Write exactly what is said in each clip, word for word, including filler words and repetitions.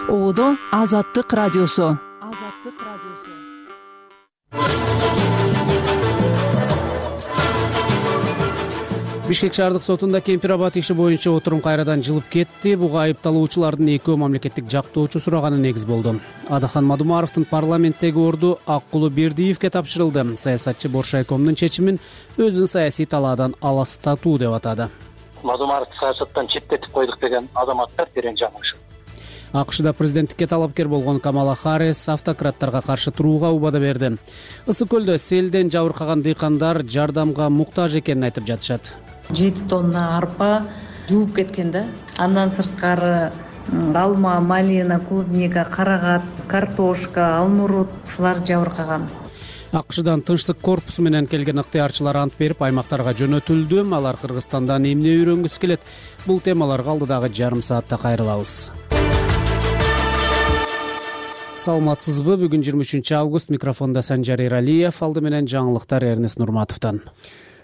Оодо Азаттык радиосу. Азаттык радиосу. Бишкек шаардык сотунда Кемпир Абад иши боюнча отурум кайрадан жылып кетти. Буга айыпталуучулардын экөө мамлекеттик жактоочу сураганы негиз болду. Адахан Мадумаровдун парламенттеги орду Аккулу Бердиевке тапшырылды. Саясатчы Боршайкомдун чечимин өзүн саясий талаадан аластатуу деп атады. Мадумаровду саясаттан четтетип койдук деген азаматтар терең жаңылышат. АКШда президенттикке талапкер болгон Камала Харрис автократтарга каршы турууга убада берди. Ысык көлдө селден жабыркаган дыйкандар жардамга муктаж экенин айтып жатышат. жети тонна арпа жууп кеткен да. Андан сырткары алма, малина, клубника, карагат, картошка, алмурут ушулар жабыркаган. АКШдан тынчтык корпусу менен келген ыктыярчылар ант берип аймактарга жөнөтүлдү. Алар Кыргызстандан эмне үйрөнгүсү келет? Бул темаларга алдыдагы жарым саатта кайрылабыз. Саламатсызбы? Бүгүн жыйырма үчүнчү август. Микрофондо Санжар Эралиев, алды менен жаңылыктар Эрнест Нурматовдон.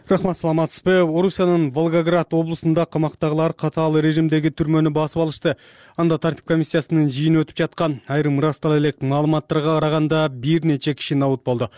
Рахмат, саламатсызбы? Орусиянын Волгоград облусунда камактагылар катаал режимдеги түрмөнү басып алышты. Анда тартип комиссиясынын жыйыны өтүп жаткан. Айрым ырастала элек маалыматтарга караганда бир нече киши набыт болду.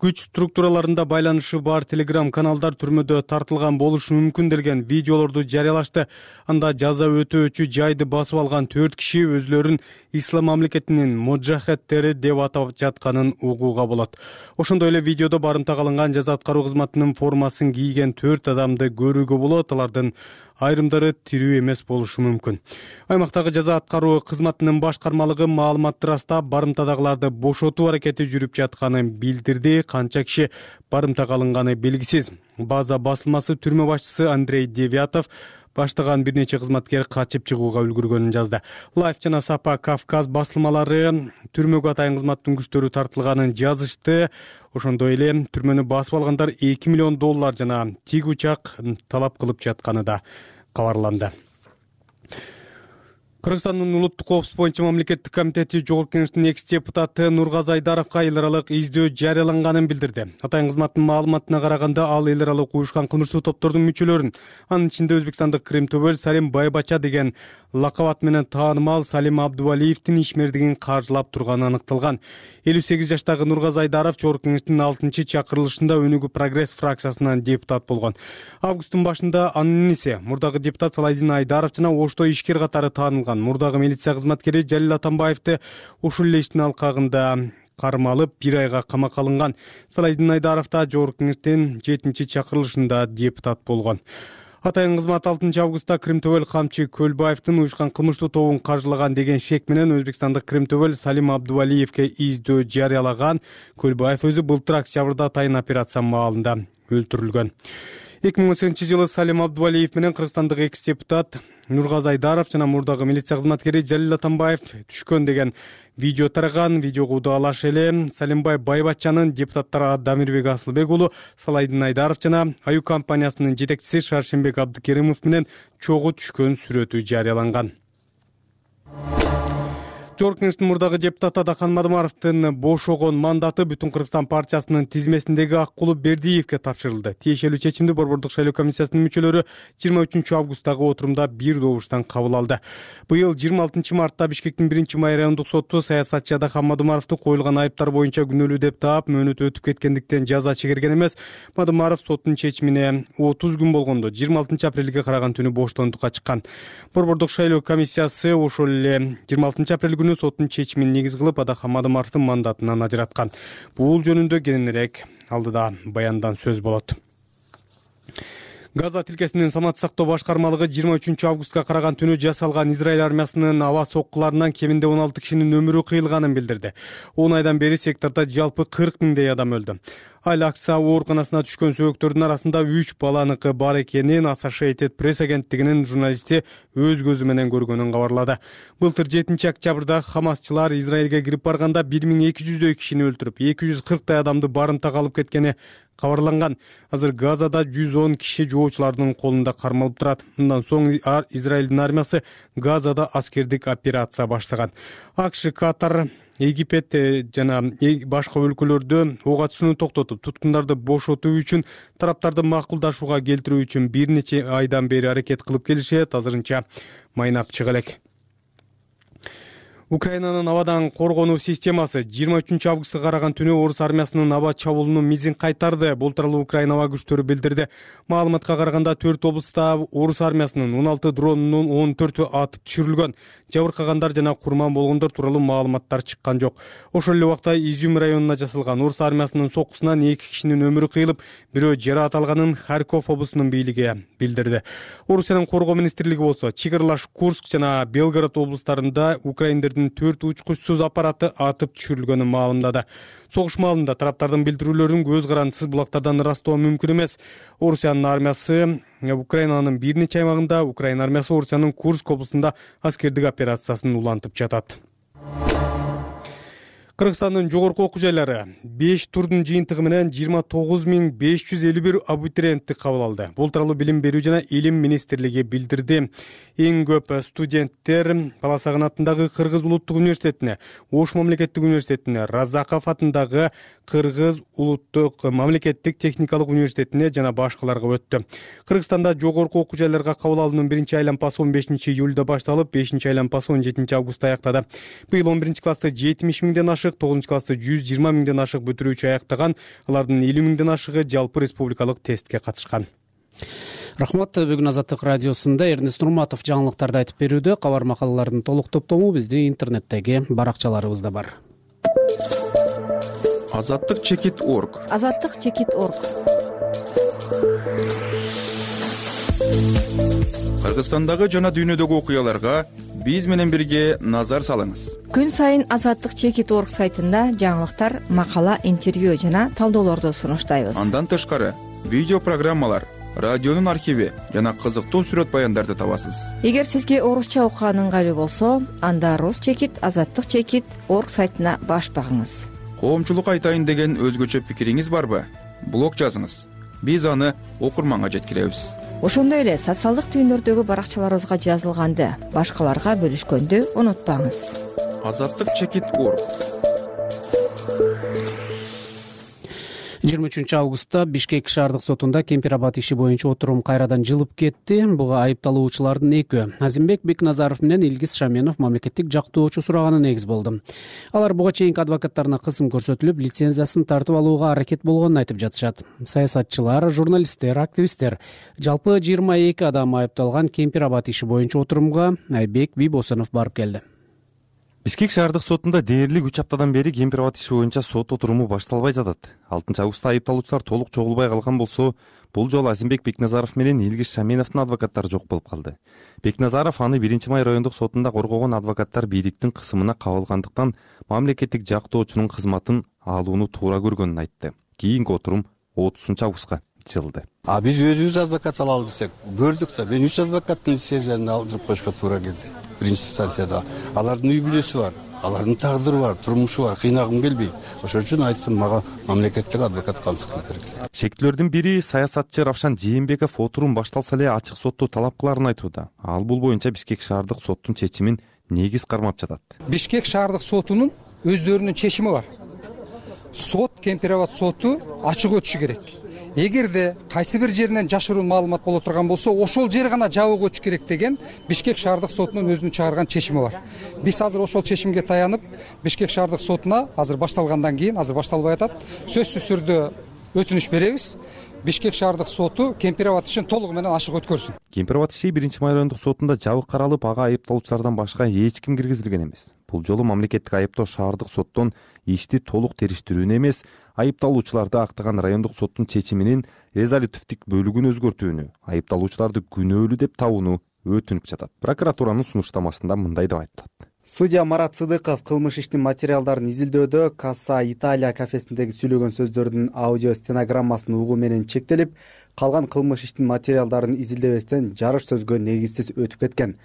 Күч структураларында байланышы бар телеграм каналдар түрмөдө тартылган болушу мүмкүн делген видеолорду жарыялашты. Анда жаза өтөөчү жайды басып алган төрт киши өзлөрүн ислам мамлекетинин мужахеттери деп атап жатканын угууга болот. Ошондой эле видеодо барымтага алынган жаза аткаруу кызматынын формасын кийген төрт адамды көрүүгө болот. Алардын айрымдары тирүү эмес болушу мүмкүн. Аймактагы жаза аткаруу кызматынын башкармалыгы маалыматты ырастап, барымтадагыларды бошотуу аракети жүрүп жатканын билдирди. Канча киши барымтага алынганы белгисиз. База басылмасы түрмө башчысы Андрей Девятов баштаган бир нече кызматкер качып чыгууга үлгүргөнүн жазды. Лайф жана Сапа Кавказ басылмалары түрмөгө атайын кызматтын күчтөрү тартылганын жазышты. Ошондой эле түрмөнү басып алгандар эки миллион доллар жана тиг учак талап кылып жатканы да кабарланды. Кыргызстандын улуттук коопсуздук боюнча мамлекеттик комитети Жогорку Кеңештин экс депутаты Нургазы Айдаровго эл аралык издөө жарыяланганын билдирди. Атайын кызматтын маалыматына караганда ал эл аралык уюшкан кылмыштуу топтордун мүчөлөрүн, анын ичинде Өзбекстандык Крим Төбөл Салим Байбача деген лакап ат менен таанымал Салим Абдувалиевдин ишмердигин каржылап турганы аныкталган. элүү сегиз жаштагы Нургазы Айдаров Жогорку Кеңештин алтынчы чакырылышында Өнүгүү Прогресс фракциясынан депутат болгон. Августтун башында анын иниси мурдагы депутат Салайдин Айдаров жана Ошто ишкер катары таанылган. Мурдагы милиция кызматкери Жалил Атамбаевди ушул эле иштин алкагында кармалып бир айга камакка алынган. Салайдин Айдаров да Жогорку Кеңештин жетинчи чакырылышында депутат болгон. Атайын кызмат алтынчы августта Крим Төбөл камчы Көлбаевдин уюшкан кылмыштуу тобун каржылаган деген шек менен Өзбекстандык Крим Төбөл Салим Абдувалиевке издөө жарыялаган. Көлбаев өзү былтыр октябрда атайын операция маалында өлтүрүлгөн. эки миң он сегизинчи жылы Салим Абдувалиев менен Кыргызстандык экс депутат Нургазы Айдаров жана мурдагы милиция кызматкери Жалил Атамбаев түшкөн деген видео тараган. Видеого удаалаш эле Салимбай Байбачанын депутаттары Дамирбек Асылбек уулу, Салайдин Айдаров жана Аю компаниясынын жетекчиси Шаршембек Абдыкеримов менен чогуу түшкөн сүрөтү жарыяланган. Жогорку Кеңештин мурдагы депутаты Адахан Мадумаровдун бошогон мандаты Бүтүн Кыргызстан партиясынын тизмесиндеги Аккулу Бердиевке тапшырылды. Тиешелүү чечимди Борбордук шайлоо комиссиясынын мүчөлөрү жыйырма үчүнчү августтагы отурумда бир добуштан кабыл алды. Быйыл жыйырма алтынчы мартта Бишкектин биринчи май райондук соту саясатчы Адахан Мадумаровду коюлган айыптар боюнча күнөөлүү деп таап, мөөнөтү өтүп кеткендиктен жаза чегерген эмес. Мадумаров соттун чечимине отуз күн болгондо жыйырма алтынчы апрелге караган түнү боштондукка чыккан. Борбордук шайлоо комиссиясы ошол эле жыйырма алтынчы апрель күнү соттун чечимин негиз кылып Адахан Мадумаровдун мандатынан ажыраткан. Бул жөнүндө кененирээк алдыда баяндан сөз болот. Газа тилкесинин саламаттык сактоо башкармалыгы жыйырма үчүнчү августка караган түнү жасалган Израиль армиясынын аба соккуларынан кеминде он алты кишинин өмүрү кыйылганын билдирди. он айдан бери сектордо жалпы кырк миңдей адам өлдү. Аль-Акса ооруканасына түшкөн сөбөктөрдүн арасында үч баланыкы бар экенин Associated Press агенттигинин журналисти өз көзү менен көргөнүн кабарлады. Былтыр жетинчи октябрда Хамасчылар Израилге кирип барганда бир миң эки жүздөй кишини өлтүрүп, эки жүз кырктай адамды барымтага алып кеткени кабарланган. Азыр Газада жүз он киши жоочулардын колунда кармалып турат. Мындан соң Израилдин армиясы Газада аскердик операция баштаган. АКШ, Катар, Египет жана башка өлкөлөрдө ок атышууну токтотуп, туткундарды бошотуу үчүн тараптарды макулдашууга келтирүү үчүн бир нече айдан бери аракет кылып келишет. Азырынча майнап чыга элек. Украинанын абадан коргонуу системасы жыйырма үчүнчү августка караган түнү орус армиясынын аба чабуулунун мизин кайтарды. Бул тууралуу Украина аба күчтөрү билдирди. Маалыматка караганда төрт облуста орус армиясынын он алты дронунун он төртү атып түшүрүлгөн. Жабыркагандар жана курман болгондор тууралуу маалыматтар чыккан жок. Ошол эле убакта Изюм районуна жасалган орус армиясынын соккусунан эки кишинин өмүрү кыйылып, бирөө жараат алганын Харьков облусунун бийлиги билдирди. Орусиянын коргоо министрлиги болсо чек Курск жана Белгород облустарында украиндердин төрт учкучсуз аппараты атып түшүрүлгөнүн маалымдады. Согуш маалында тараптардын билдирүүлөрүн көз карандысыз булактардан ырастоо мүмкүн эмес. Орусиянын армиясы Украинанын бир нече аймагында, Украина армиясы Орусиянын Курск облусунда аскердик операциясын улантып жатат. Кыргызстандын жогорку окуу жайлары беш турдун жыйынтыгы менен жыйырма тогуз миң беш жүз элүү бир абитуриентти кабыл алды. Бул тууралуу Билим берүү жана Илим министрлиги билдирди. Эң көп студенттер Баласагын атындагы Кыргыз улуттук университетине, Ош мамлекеттик университетине, Разаков атындагы Кыргыз улуттук мамлекеттик техникалык университетине жана башкаларга өттү. Кыргызстанда жогорку окуу жайларга кабыл алуунун биринчи айлампасы он бешинчи июлда башталып, бешинчи айлампасы он жетинчи августта аяктады. Быйыл он биринчи классты жетимиш миңден ашык, тогузунчу классты жүз жыйырма миңден ашык бүтүрүүчү аяктаган, алардын элүү миңден ашыгы жалпы республикалык тестке катышкан. Рахмат. Бүгүн Азаттык радиосунда Эрнест Нурматов жаңылыктарды айтып берүүдө. Кабар макалалардын толук топтому биздин интернеттеги баракчаларыбызда бар. Азаттык чекит орг. Азаттык чекит орг. Кыргызстандагы жана дүйнөдөгү окуяларга биз менен бирге назар салыңыз. Күн сайын Азаттык чекит орг сайтында жаңылыктар, макала, интервью жана талдоолорду сунуштайбыз. Андан тышкары видео программалар, радионун архиви жана кызыктуу сүрөт баяндарды табасыз. Эгер сизге орусча окуган ыңгайлуу болсо, анда Рус чекит, Азаттык чекит орг сайтына баш багыңыз. Коомчулук айтайын деген өзгөчө пикириңиз барбы? Блог жазыңыз. Биз аны окурманга жеткиребиз. Ошондой эле социалдык түйүндөрдөгү баракчаларыбызга жазылганды башкаларга бөлүшкөндү унутпаңыз. Азаттык чекит орг. жыйырма үчүнчү августта Бишкек шаардык сотунда Кемпир-Абад иши боюнча отурум кайрадан жылып кетти. Буга айыпталуучулардын экөө Азимбек Бекназаров менен Илгиз Шаменов мамлекеттик жактоочу сураганын негиз болду. Алар буга чейинки адвокаттарына кысым көрсөтүлүп, лицензиясын тартып алууга аракет болгонун айтып жатышат. Саясатчылар, журналисттер, активисттер, жалпы жыйырма эки адам айыпталган Кемпир-Абад иши боюнча отурумга Айбек Бийбосонов барып келди. Бишкек шаардык сотунда дээрлик үч аптадан бери Кемпир-Абад иши боюнча сот отуруму башталбай жатат. алтынчы августта айыпталуучулар толук чогулбай калган болсо, бул жолу Азимбек Бекназаров менен Илгиз Шаменовдун адвокаттары жок болуп калды. Бекназаров аны биринчи май райондук сотунда коргогон адвокаттар бийликтин кысымына кабылгандыктан мамлекеттик жактоочунун кызматын алууну туура көргөнүн айтты. Кийинки отурум отузунчу августка жылды. А биз өзүбүз адвокат алалы десек, көрдүк да, мен үч адвокаттын лицензиясын алдырып коюшка туура келди. Биринчи станцияда алардын үй бүлөсү бар, алардын тагдыры бар, турмушу бар, кыйнагым келбейт. Ошон үчүн айттым, мага мамлекеттик адвокат калыш кылып бергиле. Шектүүлөрдүн бири саясатчы Равшан Жээнбеков отурум башталса эле ачык сотту талап кыларын айтууда. Ал бул боюнча Бишкек шаардык соттун чечимин негиз кармап жатат. Бишкек шаардык сотунун өздөрүнүн чечими бар. Сот, Кемпир-Абад соту ачык өтүшү керек. Эгерде кайсы бир жеринен жашыруун маалымат боло турган болсо, ошол жер гана жабык өтүш керек деген Бишкек шаардык сотунун өзүнүн чыгарган чечими бар. Биз азыр ошол чечимге таянып, Бишкек шаардык сотуна азыр башталгандан кийин, азыр башталбай атат, сөзсүз түрдө өтүнүч беребиз. Бишкек шаардык соту Кемпир-Абад ишин толугу менен ачык өткөрсүн. Кемпир-Абад иши биринчи май райондук сотунда жабык каралып, ага айыпталуучулардан башка эч ким киргизилген эмес. Бул жолу мамлекеттик айыптоо шаардык соттон ишти толук териштирүүнү эмес, айыпталуучуларды актаган райондук соттун чечиминин резолютивдик бөлүгүн өзгөртүүнү, айыпталуучуларды күнөөлүү деп табууну өтүнүп жатат. Прокуратуранын сунуштамасында мындай деп айтылат. Судья Марат Сыдыков кылмыш иштин материалдарын изилдөөдө Касса Италия кафесиндеги сүйлөгөн сөздөрдүн аудио стенограммасын угуу менен чектелип, калган кылмыш иштин материалдарын изилдебестен жарыш сөзгө негизсиз өтүп кеткен.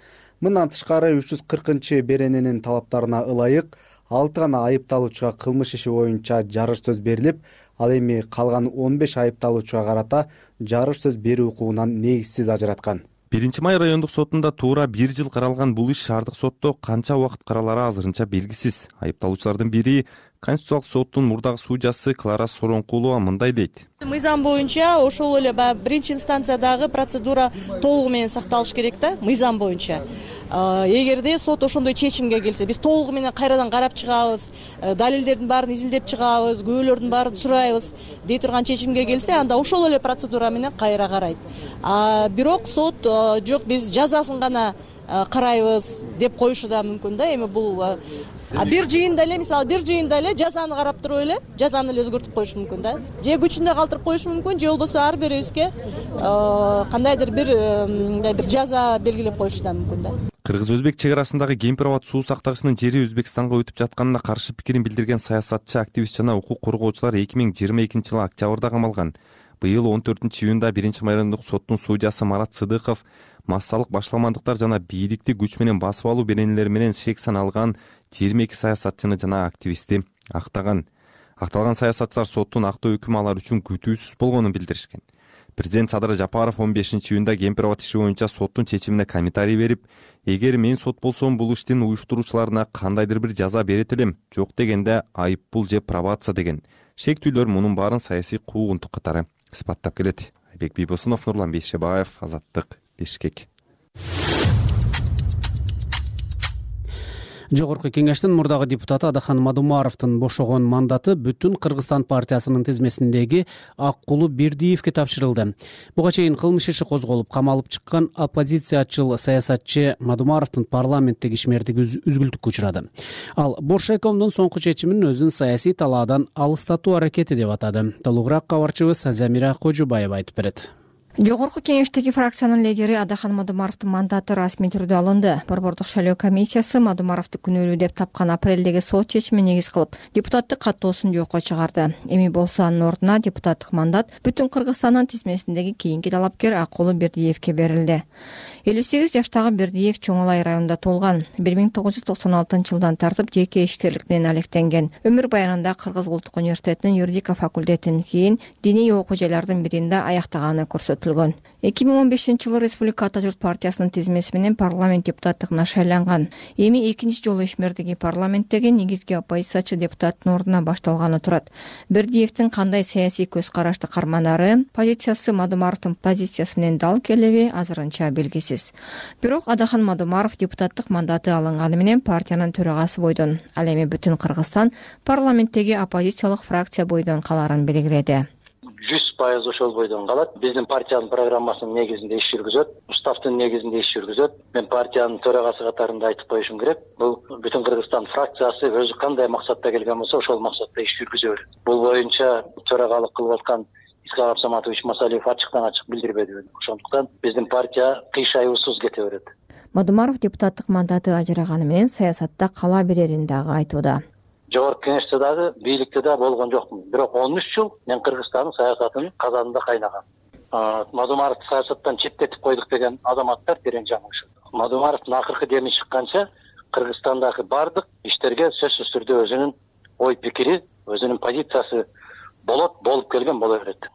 Мындан тышкары үч жүз кыркынчы берененин талаптарына ылайык алты гана айыпталуучуга кылмыш иши боюнча жарыш сөз берилип, ал эми калган он беш айыпталуучуга карата жарыш сөз берүү укугунан негизсиз ажыраткан. биринчи май райондук сотунда туура бир жыл каралган бул иш шаардык сотто канча убакыт каралары азырынча белгисиз. Айыпталуучулардын бири Конституциялык соттун мурдагы судьясы Клара Соронкулова мындай дейт. Мыйзам боюнча ошол эле баягы биринчи инстанциядагы процедура толугу менен сакталыш керек да, мыйзам боюнча. эгерде сот ошондой чечимге келсе, биз толугу менен кайрадан карап чыгабыз, далилдердин баарын изилдеп чыгабыз, күбөлөрдүн баарын сурайбыз дей турган чечимге келсе, анда ошол эле процедура менен кайра карайт. Бирок сот жок, биз жазасын гана карайбыз деп коюшу да мүмкүн да. Эми бул бир жыйында эле, мисалы бир жыйында эле жазаны карап туруп эле жазаны эле өзгөртүп коюшу мүмкүн да. Же күчүндө калтырып коюшу мүмкүн, же болбосо ар бирибизге кандайдыр бир бир жаза белгилеп коюшу да мүмкүн да. Кыргыз-өзбек чек арасындагы Кемпир-Абад суу сактагычынын жери Өзбекстанга өтүп жатканына каршы пикирин билдирген саясатчы, активист жана укук коргоочулар эки миң жыйырма экинчи жылы октябрда камалган. Быйыл он төртүнчү июнда биринчи майрамдык соттун судьясы Марат Сыдыков массалык башаламандыктар жана бийликти күч менен басып алуу беренелери менен шек саналган жыйырма эки саясатчыны жана активистти актаган. Акталган саясатчылар соттун актоо өкүмү алар үчүн күтүүсүз болгонун билдиришкен. Президент Садыр Жапаров он бешинчи июнда Кемпир-Абад иши боюнча соттун чечимине комментарий берип, эгер мен сот болсом бул иштин уюштуруучуларына кандайдыр бир жаза берет элем, жок дегенде айыппул же пробация деген. Шектүүлөр мунун баарын саясий куугунтук катары сыпаттап келет. Айбек Бийбосунов, Нурлан Бейшебаев, Азаттык, Бишкек. Жогорку кеңештин мурдагы депутаты Адахан Мадумаровдун бошогон мандаты Бүтүн Кыргызстан партиясынын тизмесиндеги Аккулу Бердиевге тапшырылды. Буга чейин кылмыш иши козголуп, камалып чыккан оппозициячыл саясатчы Мадумаровдун парламенттеги ишмердиги үзгүлтүккө учурады. Ал Боршайкомдун соңку чечимин өзүнүн саясий талаадан алыстатуу аракети деп атады. Толугураак кабарчыбыз Замира Кожубаева айтып берет. Жогорку кеңештеги фракциянын лидери Адахан Мадумаровдун мандаты расмий түрдө алынды. Борбордук шайлоо комиссиясы Мадумаровду күнөөлүү деп тапкан апрелдеги сот чечимин негиз кылып, депутаттык каттоосун жокко чыгарды. Эми болсо анын ордуна депутаттык мандат Бүтүн Кыргызстандын тизмесиндеги кийинки талапкер Аккулу Бердиевге берилди. элүү сегиз жаштагы Бердиев Чоң Алай районунда туулган. бир миң тогуз жүз токсон алтынчы жылдан тартып жеке ишкерлик менен алектенген. Өмүр баянында Кыргыз Улуттук университетинин юридика факультетин, кийин диний окуу жайлардын биринде аяктаганы көрсөтүлгөн. эки миң он бешинчи жылы Республика Ата журт партиясынын тизмеси менен парламент депутаттыгына шайланган. Эми экинчи жолу ишмердиги парламенттеги негизги оппозициячы депутаттын ордуна башталганы турат. Бердиевдин кандай саясий көз карашты карманары, позициясы Мадумаровдун позициясы менен дал келеби азырынча белгисиз. Бирок Адахан Мадумаров депутаттык мандаты алынганы менен партиянын төрагасы бойдон, ал эми Бүтүн Кыргызстан парламенттеги оппозициялык фракция бойдон каларын белгиледи. жүз пайыз ошол бойдон калат. Биздин партиянын программасынын негизинде иш жүргүзөт, уставдын негизинде иш жүргүзөт. Мен партиянын төрагасы катарында айтып коюшум керек. Бул Бүтүн Кыргызстан фракциясы өзү кандай максатта келген болсо, ошол максатта иш жүргүзө берет. Бул боюнча төрагалык кылып аткан Исхак Абсаматович Масалиев ачыктан ачык билдирбеди. Ошондуктан биздин партия кыйшаюусуз кете берет. Мадумаров депутаттык мандаты ажыраганы менен саясатта кала берерин дагы айтууда. Жогорку кеңеште дагы, бийликте да болгон жокмун. Бирок он үч жыл мен Кыргызстандын саясатынын казанында кайнагам. Мадумаровду саясаттан четтетип койдук деген азаматтар терең жаңылышат. Мадумаровдун акыркы деми чыкканча Кыргызстандагы бардык иштерге сөзсүз түрдө өзүнүн ой пикири, өзүнүн позициясы болот, болуп келген боло берет.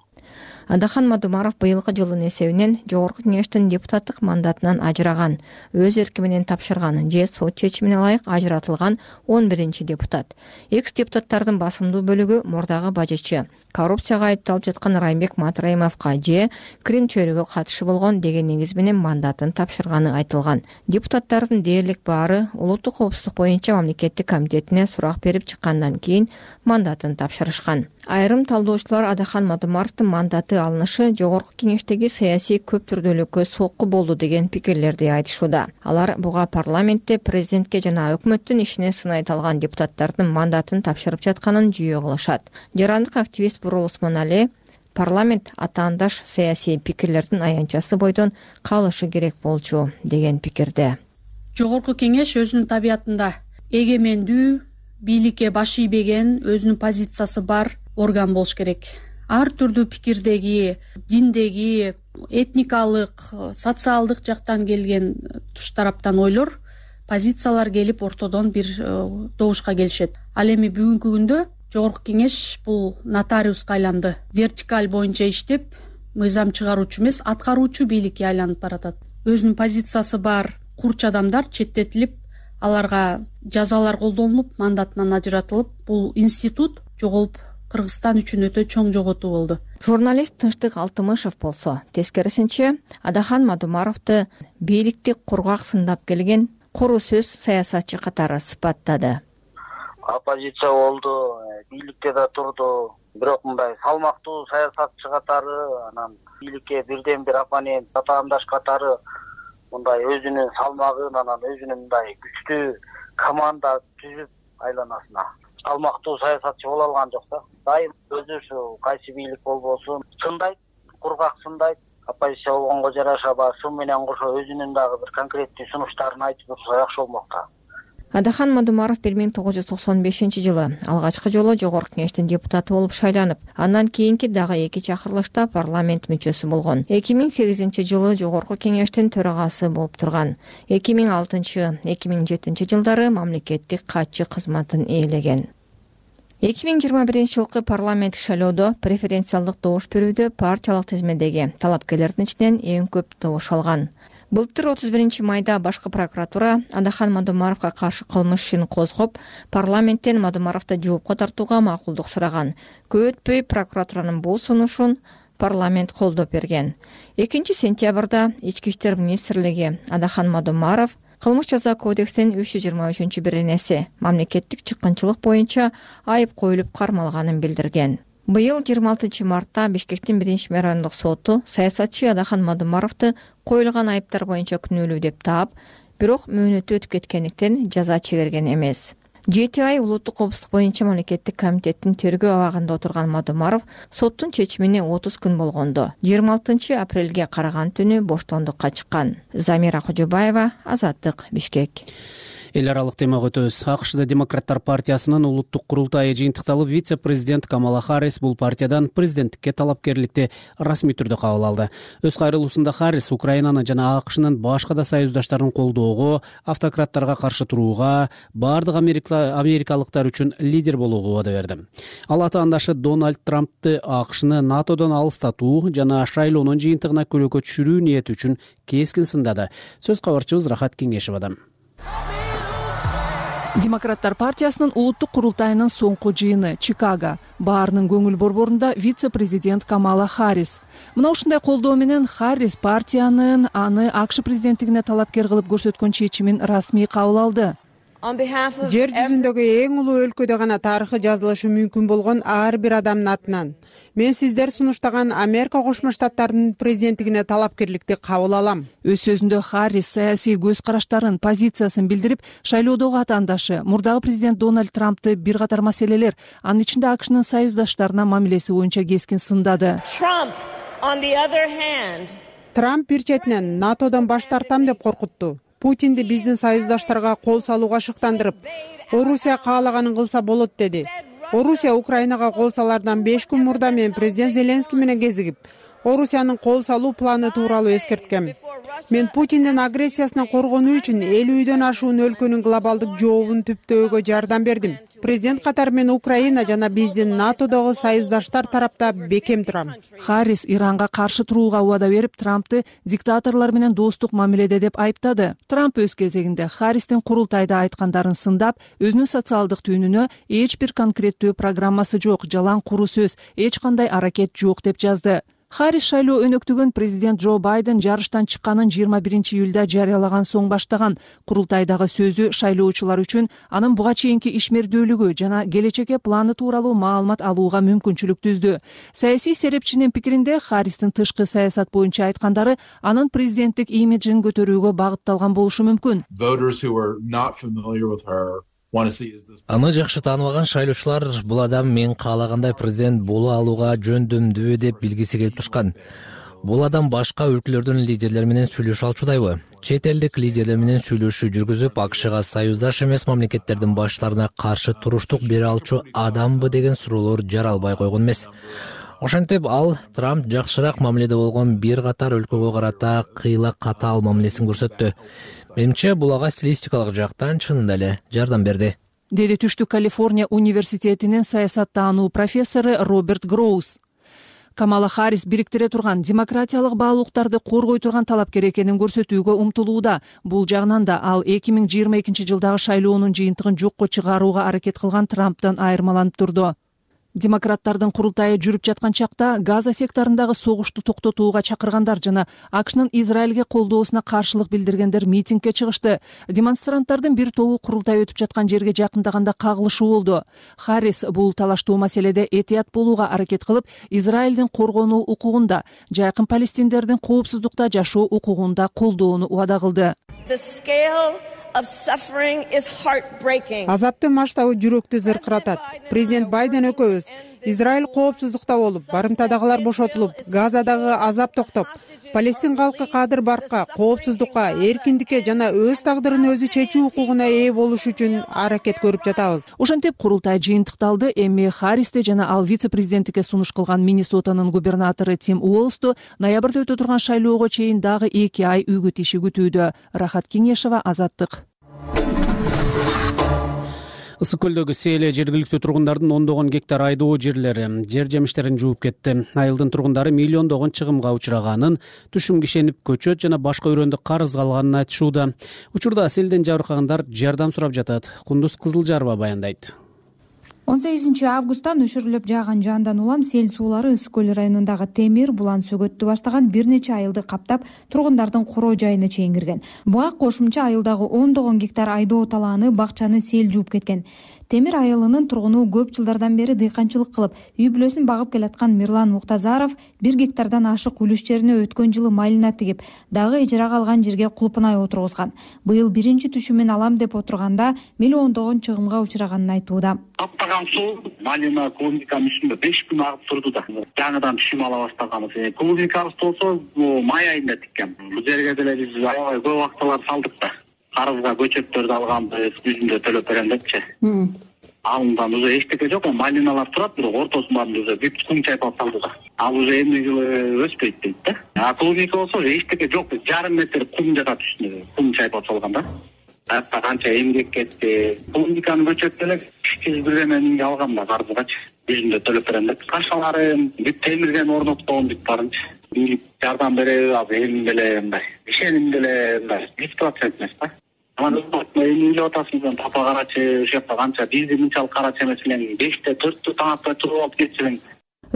Адахан Мадумаров быйылкы жылдын эсебинен жогорку кеңештин депутаттык мандатынан ажыраган, өз эрки менен тапшырган же сот чечимине ылайык ажыратылган он биринчи депутат. Экс депутаттардын басымдуу бөлүгү мурдагы бажычы, коррупцияга айыпталып жаткан Раймбек Матраимовго же Крим чөйрөгө катышы болгон деген негиз менен мандатын тапшырганы айтылган. Депутаттардын дээрлик баары улуттук коопсуздук боюнча мамлекеттик комитетине сурак берип чыккандан кийин мандатын тапшырышкан. Айрым талдоочулар Адахан Мадумаровдун мандаты алынышы жогорку кеңештеги саясий көп түрдүүлүккө сокку болду деген пикирлерди айтышууда. Алар буга парламентте президентке жана өкмөттүн ишине сынай талган депутаттардын мандатын тапшырып жатканын жүйө кылышат. Жарандык активист Бурул Усмонали парламент атаандаш саясий пикирлердин аянтчасы бойдон калышы керек болчу деген пикирде. Жогорку кеңеш өзүнүн табиятында эгемендүү, бийликке баш ийбеген, өзүнүн позициясы бар орган болуш керек. Ар түрдүү пикирдеги, диндеги, этникалык, социалдык жактан келген туш тараптан ойлор, позициялар келип ортодон бир добушка келишет. Ал эми бүгүнкү күндө жогорку кеңеш бул нотариуска айланды. Вертикаль боюнча иштеп, мыйзам чыгаруучу эмес, аткаруучу бийликке айланып баратат. Өзүнүн позициясы бар курч адамдар четтетилип, аларга жазалар колдонулуп, мандатынан ажыратылып, бул институт жоголуп Кыргызстан үчүн өтө чоң жоготуу болду. Журналист Тынчтык Алтымышев болсо тескерисинче Адахан Мадумаровду бийликти кургак сындап келген куру сөз саясатчы катары сыпаттады. Оппозиция болду, бийликте да турду, бирок мындай салмактуу саясатчы катары, анан бийликке бирден бир оппонент, татаамдаш катары мындай өзүнүн салмагын, анан өзүнүн мындай күчтүү команда түзүп айланасына салмактуу саясатчы боло алган жок да. Дайым өзү ушу кайсы бийлик болбосун сындайт, кургак сындайт. Оппозиция болгонго жараша баягы сын менен кошо өзүнүн дагы бир конкреттүү сунуштарын айтып турса жакшы болмок да. Адахан Мадумаров бир миң тогуз жүз токсон бешинчи жылы алгачкы жолу Жогорку Кеңештин депутаты болуп шайланып, андан кийинки дагы эки чакырылышта парламент мүчөсү болгон. эки миң сегизинчи жылы Жогорку Кеңештин төрагасы болуп турган. эки миң алтынчы — эки миң жетинчи жылдары мамлекеттик катчы кызматын ээлеген. эки миң жыйырма биринчи жылкы парламенттик шайлоодо преференциалдык добуш берүүдө партиялык тизмедеги талапкерлердин ичинен эң көп добуш алган. Былтыр отуз биринчи майда башкы прокуратура Адахан Мадумаровго каршы кылмыш ишин козгоп, парламенттен Мадумаровду жоопко тартууга макулдук сураган. Көп өтпөй прокуратуранын бул сунушун парламент колдоп берген. экинчи сентябрда Ички иштер министрлиги Адахан Мадумаров Кылмыш жаза кодексинин үч жүз жыйырма үчүнчү беренеси мамлекеттик чыккынчылык боюнча айып коюлуп кармалганын билдирген. Быйыл жыйырма алтынчы мартта Бишкектин биринчи райондук соту саясатчы Адахан Мадумаровду коюлган айыптар боюнча күнөөлүү деп таап, бирок мөөнөтү өтүп кеткендиктен жаза чегерген эмес. жети ай улуттук коопсуздук боюнча мамлекеттик комитеттин тергөө абагында отурган Мадумаров соттун чечимине отуз күн болгондо жыйырма алтынчы апрелге караган түнү боштондукка чыккан. Замира Кожобаева, Азаттык, Бишкек. Эл аралык темага өтөбүз. АКШда Демократтар партиясынын улуттук курултайы жыйынтыкталып, вице-президент Камала Харрис бул партиядан президенттикке талапкерликти расмий түрдө кабыл алды. Өз кайрылуусунда Харрис Украинаны жана АКШнын башка да союздаштарын колдоого, автократтарга каршы турууга, бардык америкалыктар үчүн лидер болууга убада берди. Ал атаандашы Дональд Трампты АКШны НАТОдон алыстатуу жана шайлоонун жыйынтыгына көлөкө түшүрүү ниети үчүн кескин сындады. Сөз кабарчыбыз Рахат Кеңешова. Демократтар партиясынын улуттук курултайынын соңку жыйыны Чикаго. Баарынын көңүл борборунда вице-президент Камала Харрис. Мына ушундай колдоо менен Харрис партиянын аны АКШ президенттигине талапкер кылып көрсөткөн чечимин расмий кабыл алды. Жер жүзүндөгү эң улуу өлкөдө гана тарыхы жазылышы мүмкүн болгон ар бир адамдын атынан мен сиздер сунуштаган Америка Кошмо Штаттарынын президенттигине талапкерликти кабыл алам. Өз сөзүндө Харрис саясий көз караштарын, позициясын билдирип, шайлоодогу атаандашы мурдагы президент Дональд Трампты бир катар маселелер, анын ичинде АКШнын союздаштарына мамилеси боюнча кескин сындады. Трамп бир четинен НАТОдон баш тартам деп коркутту. Путинди биздин союздаштарга кол салууга шыктандырып, Орусия каалаганын кылса болот деди. Орусия Украинага кол салардан беш күн мурда мен президент Зеленский менен кезигип, Орусиянын кол салуу планы тууралуу эскерткем. Мен Путиндин агрессиясынан коргонуу үчүн элүүдөн ашуун өлкөнүн глобалдык жообун түптөөгө жардам бердим. Президент катары мен Украина жана биздин НАТОдогу союздаштар тарапта бекем турам. Харрис Иранга каршы турууга убада берип, Трампты диктаторлор менен достук мамиледе деп айыптады. Трамп өз кезегинде Харристин курултайда айткандарын сындап, өзүнүн социалдык түнүнө эч бир конкреттүү программасы жок, жалаң куру сөз, эч кандай аракет жок деп жазды. Харрис шайлоо өнөктүгөн президент Джо Байден жарыштан чыкканын жыйырма биринчи июлда жарыялаган соң баштаган. Курултайдагы сөзү шайлоочулар үчүн анын буга чейинки ишмердүүлүгү жана келечекке планы тууралуу маалымат алууга мүмкүнчүлүк түздү. Саясий серепчинин пикиринде Харристин тышкы саясат боюнча айткандары анын президенттик имиджин көтөрүүгө багытталган болушу мүмкүн. Аны жакшы тааныбаган шайлоочулар бул адам мен каалагандай президент боло алууга жөндөмдүү деп билгиси келип турушкан. Бул адам башка өлкөлөрдүн лидерлери менен сүйлөшө алчудайбы? Чет элдик лидерлер менен сүйлөшүү жүргүзүп, АКШга союздаш эмес мамлекеттердин баштарына каршы туруштук бере алчу адамбы деген суроолор жаралбай койгон эмес. Ошентип ал Трамп жакшыраак мамиледе болгон бир катар өлкөгө карата кыйла катаал мамилесин көрсөттү. Менимче бул ага стилистикалык жактан чынында эле жардам берди, деди Түштүк Калифорния университетинин саясаттануу профессору Роберт Гроус. Камала Харрис бириктире турган демократиялык баалуулуктарды коргой турган талапкер экенин көрсөтүүгө умтулууда. Бул жагынан да ал эки миң жыйырма экинчи жылдагы шайлоонун жыйынтыгын жокко чыгарууга аракет кылган Трамптан айырмаланып турду. Демократтардын курултайы жүрүп жаткан чакта Газа секторундагы согушту токтотууга чакыргандар жана АКШнын Израилге колдоосуна каршылык билдиргендер митингге чыгышты. Демонстранттардын бир тобу курултай өтүп жаткан жерге жакындаганда кагылышуу болду. Харрис бул талаштуу маселеде этият болууга аракет кылып, Израилдин коргонуу укугунда, жайкын палестиндердин коопсуздукта жашоо укугунда колдоону убада кылды. Азаптын масштабы жүрөктү зыркыратат. Президент Байден экөөбүз Израиль коопсуздукта болуп, барымтадагылар бошотулуп, Газадагы азап токтоп, Палестин калкы кадыр баркка, коопсуздукка, эркиндикке жана өз тагдырын өзү чечүү укугуна ээ болуш үчүн аракет көрүп жатабыз. Ошентип курултай жыйынтыкталды. Эми Харристи жана ал вице-президенттикке сунуш кылган Миннесотанын губернатору Тим Уолсту ноябрда өтө турган шайлоого чейин дагы эки ай үгүт иши күтүүдө. Рахат Кеңешева, Азаттык. Ысык көлдөгү селе жергиликтүү тургундардын ондогон гектар айдоо жерлери жер жемиштерин жууп кетти. Айылдын тургундары миллиондогон чыгымга учураганын, түшүм кишенип көчөт жана башка өрөөндө карыз калганын айтышууда. Учурда селден жабыркагандар жардам сурап жатат. Кундуз Кызылжарова баяндайт. он сегизинчи августтан өшүрүлүп жааган жандан улам сел суулары Ысык көл районундагы Темир, Булан, Сөгөттү баштаган бир нече айылды каптап, тургундардын короо жайына чейин кирген. Буга кошумча айылдагы ондогон гектар айдоо талааны, бакчаны сел жууп кеткен. Темир айылынын тургуну көп жылдардан бери дыйканчылык кылып, үй бүлөсүн багып келаткан Мирлан Муктазаров бир гектардан ашык үлүш жерине өткөн жылы малина тигип, дагы ижарага алган жерге кулпунай отургузган. Быйыл биринчи түшүмүн алам деп отурганда миллиондогон чыгымга учураганын айтууда. Каптаган суу малина, клубниканын үстүндө беш күн агып турду да. Жаңыдан түшүм ала баштаганбыз. Клубникабыз болсо май айында тиккен. Бул жерге деле биз аябай көп акчалар салдык да. Карызга көчөттөрдү алганбыз, жүзүндө төлөп берем депчи. Алындан уже эчтеке жок, малиналар турат, бирок ортосунан уже бүт кум чайпап салды да. Ал уже эмне жылы өспөйт дейт да. А клубника болсо эчтеке жок, жарым метр кум жатат үстүнө, кум чайпап салган да. Атта канча эмгек кетти. Клубниканын көчөтү эле үч жүз бир миңге алгам да карызгачы. Жүзүндө төлөп берем деп. Кашаларын бүт темирден орноткон бүт барынча. Бийлик жардам береби, ал эми деле мындай. Ишеним деле мындай жүз процент эмес да. Анан эми үйлөп атасыңыз, папа карачы, ошол жакта канча бизди мынчалык карачы эмес эле, беште төрттө таң атпай туруп алып кетсең.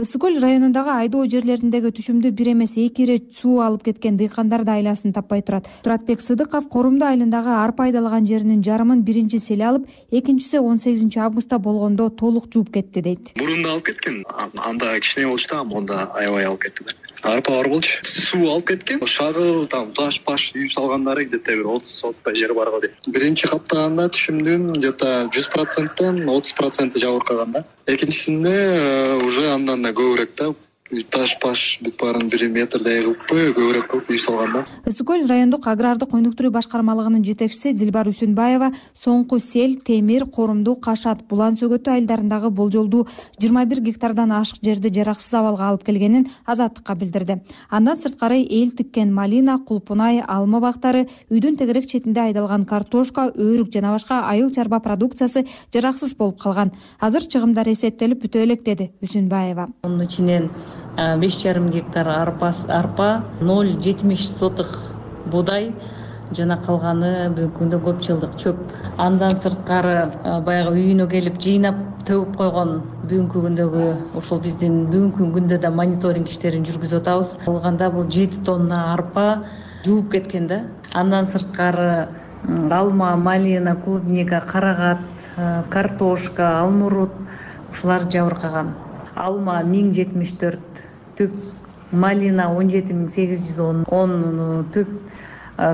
Ысык көл районундагы айдоо жерлериндеги түшүмдү бир эмес эки ирет суу алып кеткен дыйкандар да айласын таппай турат. Туратбек Сыдыков Корумду айылындагы арпа айдалган жеринин жарымын биринчи сел алып, экинчиси он сегизинчи августта болгондо толук жууп кетти дейт. Мурунда алып кеткен, анда кичине болчу да, монда аябай алып кетти да. Арпа бар болчу. Суу алып кеткен. Шагыл, там таш паш үйүп салгандары где-то бир отуз соттой жер бар го дейт. Биринчи каптаганда түшүмдүн где-то жүз проценттен отуз проценти жабыркаган да. Экинчисинде уже андан да көбүрөөк да. Таш паш бүт баарын бир метрдей кылып көбүрөөк кылып үйүп салган да. Ысык көл райондук агрардык өнүктүрүү башкармалыгынын жетекчиси Дилбар Үсүнбаева соңку сел Темир, Корумду, Кашат, Булан, Сөгөттү айылдарындагы болжолдуу жыйырма бир гектардан ашык жерди жараксыз абалга алып келгенин Азаттыкка билдирди. Андан сырткары эл тиккен малина, кулпунай, алма бактары, үйдүн тегерек четинде айдалган картошка, өрүк жана башка айыл чарба продукциясы жараксыз болуп калган. Азыр чыгымдар эсептелип бүтө элек, деди Үсүнбаева. Мунун ичинен беш жарым гектар арпа, арпа, ноль жетимиш сотых буудай жана калганы бүгүнкү күндө көп жылдык чөп. Андан сырткары баягы үйүнө келип жыйнап төгүп койгон бүгүнкү күндөгү ошол биздин бүгүнкү күндө да мониторинг иштерин жүргүзүп атабыз. Калганда бул жети тонна арпа жууп кеткен да. Андан сырткары алма, малина, клубника, карагат, картошка, алмурут ушулар жабыркаган. Алма миң жетимиш төрт түп, малина он жети миң сегиз жүз он түп,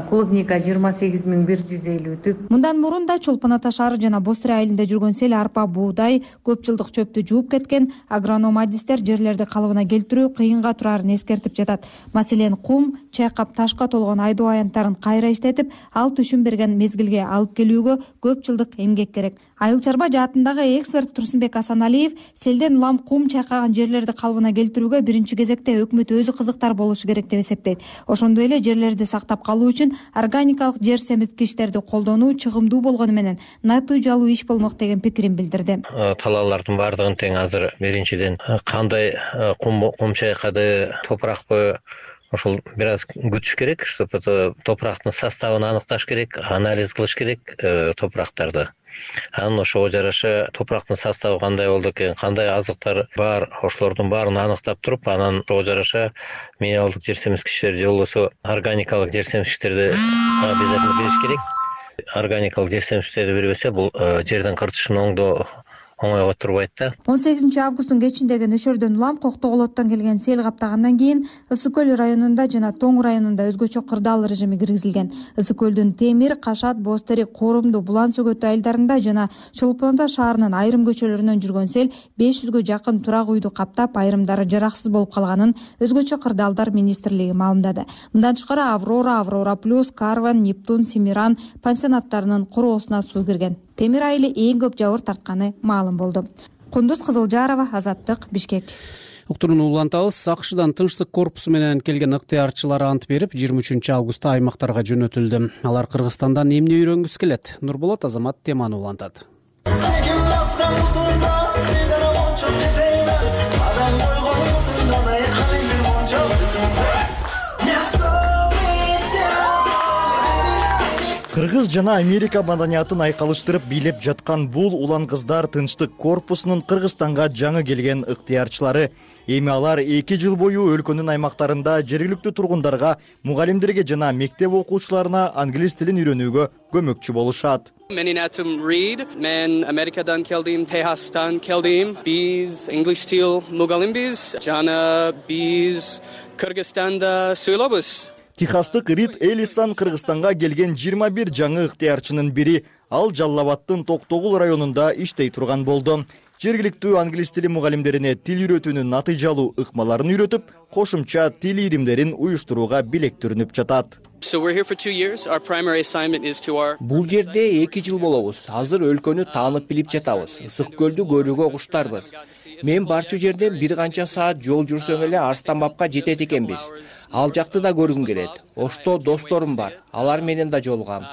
клубника жыйырма сегиз миң бир жүз элүү түп. Мындан мурун да Чолпон Ата шаары жана Бостыра айылында жүргөн сел арпа, буудай, көп жылдык чөптү жууп кеткен. Агроном адистер жерлерди калыбына келтирүү кыйынга турарын эскертип жатат. Маселен, кум, чайкап ташка толгон айдоо аянттарын кайра иштетип, ал түшүм берген мезгилге алып келүүгө көп жылдык эмгек керек. Айыл чарба жаатындагы эксперт Турсунбек Асаналиев селден улам кум чайкаган жерлерди калыбына келтирүүгө биринчи кезекте өкмөт өзү кызыктар болушу керек деп эсептейт. Ошондой эле жерлерди сактап калуу үчүн органикалык жер семирткичтерди колдонуу чыгымдуу болгону менен натыйжалуу иш болмок деген пикирин билдирди. Талаалардын баардыгын тең азыр биринчиден кандай кум кум чайкады, топуракпы, ошол бир аз күтүш керек, чтобы топурактын составын аныкташ керек, анализ кылыш керек топурактарды. анан ошого жараша топурактын составы кандай болду экен, кандай азыктар бар, ошолордун баарын аныктап туруп, анан ошого жараша минералдык жер семизгичтер же болбосо органикалык жер семизгичтерди обязательно бериш керек. Органикалык жер семизгичтерди бербесе, бул жердин кыртышын оңдоо оңойго турбайт да. он сегизинчи августтун кечиндеги нөшөрдөн улам Коктоголоттон келген сел каптагандан кийин Ысык көл районунда жана Тоң районунда өзгөчө кырдаал режими киргизилген. Ысык көлдүн Темир, Кашат, Бозтерек, Коорумду, Булан Сөгөтү айылдарында жана Чолпон Ата шаарынын айрым көчөлөрүнөн жүргөн сел беш жүзгө жакын турак үйдү каптап, айрымдары жараксыз болуп калганын өзгөчө кырдаалдар министрлиги маалымдады. Мындан тышкары Аврора, Аврора плюс, Карван, Нептун, Семиран пансионаттарынын короосуна суу кирген. Темир айылы эң көп жабыр тартканы маалым болду. Кундуз Кызылжарова, Азаттык, Бишкек. Уктурууну улантабыз. АКШдан тынчтык корпусу менен келген ыктыярчылар ант берип, жыйырма үчүнчү августта аймактарга жөнөтүлдү. Алар Кыргызстандан эмне үйрөнгүсү келет? Нурболот Азамат теманы улантат. Кыргыз жана Америка маданиятын айкалыштырып бийлеп жаткан бул улан кыздар тынчтык корпусунун Кыргызстанга жаңы келген ыктыярчылары. Эми алар эки жыл бою өлкөнүн аймактарында жергиликтүү тургундарга, мугалимдерге жана мектеп окуучуларына англис тилин үйрөнүүгө көмөкчү болушат. Менин атым Рид, мен Америкадан келдим, Техастан келдим. Биз англис тил мугалимбиз жана биз Кыргызстанда сүйлөбүз. Техастык Рид Элисан Кыргызстанга келген жыйырма бир жаңы ыктыярчынын бири. Ал Жалал Абадтын Токтогул районунда иштей турган болду. Жергиликтүү англис тили мугалимдерине тил үйрөтүүнүн натыйжалуу ыкмаларын үйрөтүп, кошумча тил ийримдерин уюштурууга билектүрүнүп жатат. Бул жерде эки жыл болобуз. Азыр өлкөнү таанып билип жатабыз. Ысык көлдү көрүүгө куштарбыз. Мен барчу жерден бир канча саат жол жүрсөң эле Арстанбабка жетет экенбиз. Ал жакты да көргүм келет. Ошто досторум бар. Алар менен да жолугам.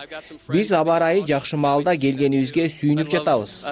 Биз аба ырайы жакшы маалда келгенибизге сүйүнүп жатабыз.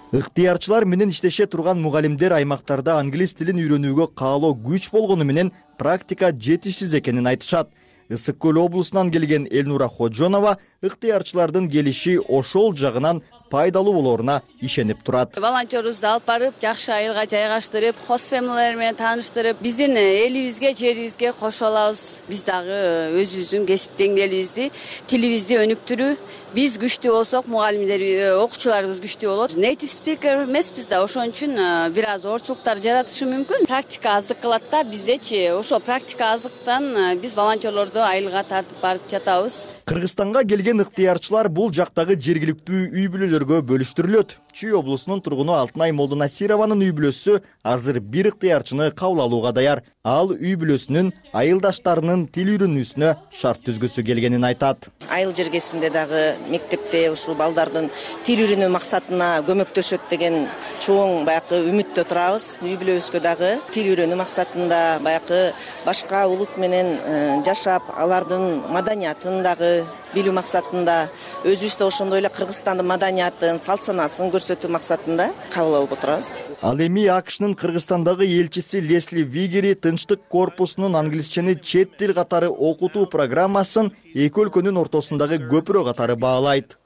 Ыктыярчылар менен иштеше турган мугалимдер аймактарда англис тилин үйрөнүүгө каалоо күч болгону менен практика жетишсиз экенин айтышат. Ысык көл облусунан келген Элнура Ходжонова ыктыярчылардын келиши ошол жагынан пайдалуу болоруна ишенип турат. Волонтерубузду алып барып, жакшы айылга жайгаштырып, хост фэмилилер менен тааныштырып, биздин элибизге, жерибизге кошо алабыз. Биз дагы өзүбүздүн кесип деңгээлибизди, тилибизди өнүктүрүү, биз күчтүү болсок, мугалимдер, окуучуларыбыз күчтүү болот. Native speaker эмеспиз да, ошон үчүн бир аз орчулуктар жаратышы мүмкүн. Практика аздык кылат да, биздечи ошо практика аздыктан биз волонтерлорду айылга тартып барып жатабыз. Кыргызстанга келген ыктыярчылар бул жактагы жергиликтүү үй бүлөлөргө бөлүштүрүлөт. Чүй облусунун тургуну Алтынай Молдонасированын үй бүлөсү азыр бир ыктыярчыны кабыл алууга даяр. Ал үй бүлөсүнүн айылдаштарынын тил үйрөнүүсүнө шарт түзгүсү келгенин айтат. Айыл жергесинде дагы мектепте ушул балдардын тил үйрөнүү максатына көмөктөшөт деген чоң баягы үмүттө турабыз. Үй бүлөбүзгө дагы тил үйрөнүү максатында баягы башка улут менен жашап, алардын маданиятын дагы билүү максатында, өзүбүз да ошондой эле Кыргызстандын маданиятын, салт санаасын көрсөтүү максатында кабыл алып отурабыз. Ал эми АКШнын Кыргызстандагы элчиси Лесли Вигери тынчтык корпусунун англисчени чет тил катары окутуу программасын эки өлкөнүн ортосундагы көпүрө катары баалайт.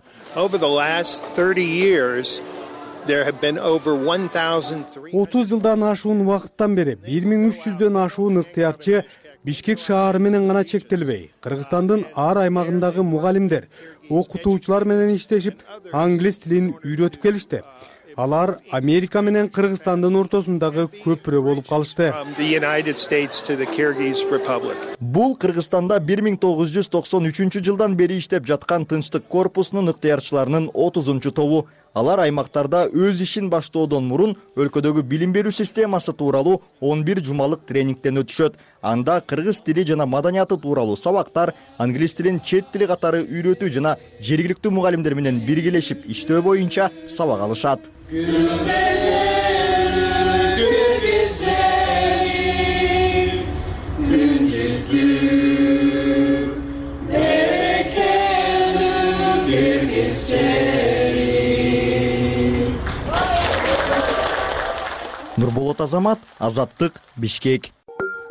отуз жылдан ашуун убакыттан бери бир миң үч жүздөн ашуун ыктыярчы Бишкек шаары менен гана чектелбей, Кыргызстандын ар аймагындагы мугалимдер, окутуучулар менен иштешип, англис тилин үйрөтүп келишти. Алар Америка менен Кыргызстандын ортосундагы көпүрө болуп калышты. Бул Кыргызстанда бир миң тогуз жүз токсон үчүнчү жылдан бери иштеп жаткан тынчтык корпусунун ыктыярчыларынын отузунчу тобу. Алар аймактарда өз ишин баштоодон мурун өлкөдөгү билим берүү системасы тууралуу он бир жумалык тренингден өтүшөт. Анда кыргыз тили жана маданияты тууралуу сабактар, англис тилин чет тили катары үйрөтүү жана жергиликтүү мугалимдер менен биргелешип иштөө боюнча сабак алышат. Нурболот Азамат, Азаттык, Бишкек.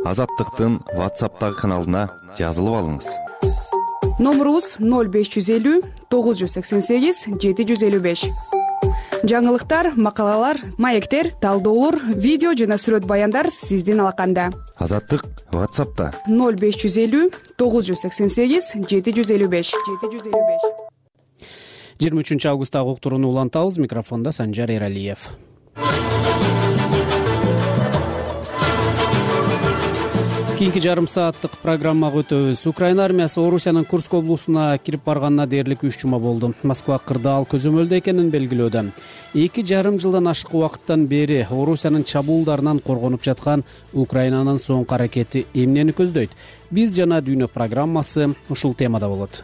Азаттыктын WhatsApp'тагы каналына жазылып алыңыз. Номерубуз ноль беш жүз элүү тогуз жүз сексен сегиз жети жүз элүү беш. Жаңылыктар, макалалар, маектер, талдоолор, видео жана сүрөт баяндар сиздин алаканда. Азаттык WhatsApp'та ноль беш жүз элүү тогуз жүз сексен сегиз жети жүз элүү беш жети жүз элүү беш. жыйырма үчүнчү августтагы уктурууну улантабыз. Микрофондо Санжар Эралиев. Кийинки жарым сааттык программага өтөбүз. Украина армиясы Орусиянын Курск облусуна кирип барганына дээрлик үч жума болду. Москва кырдаал көзөмөлдө экенин белгилөөдө. Эки жарым жылдан ашык убакыттан бери Орусиянын чабуулдарынан коргонуп жаткан Украинанын соңку аракети эмнени көздөйт? Биз жана дүйнө программасы ушул темада болот.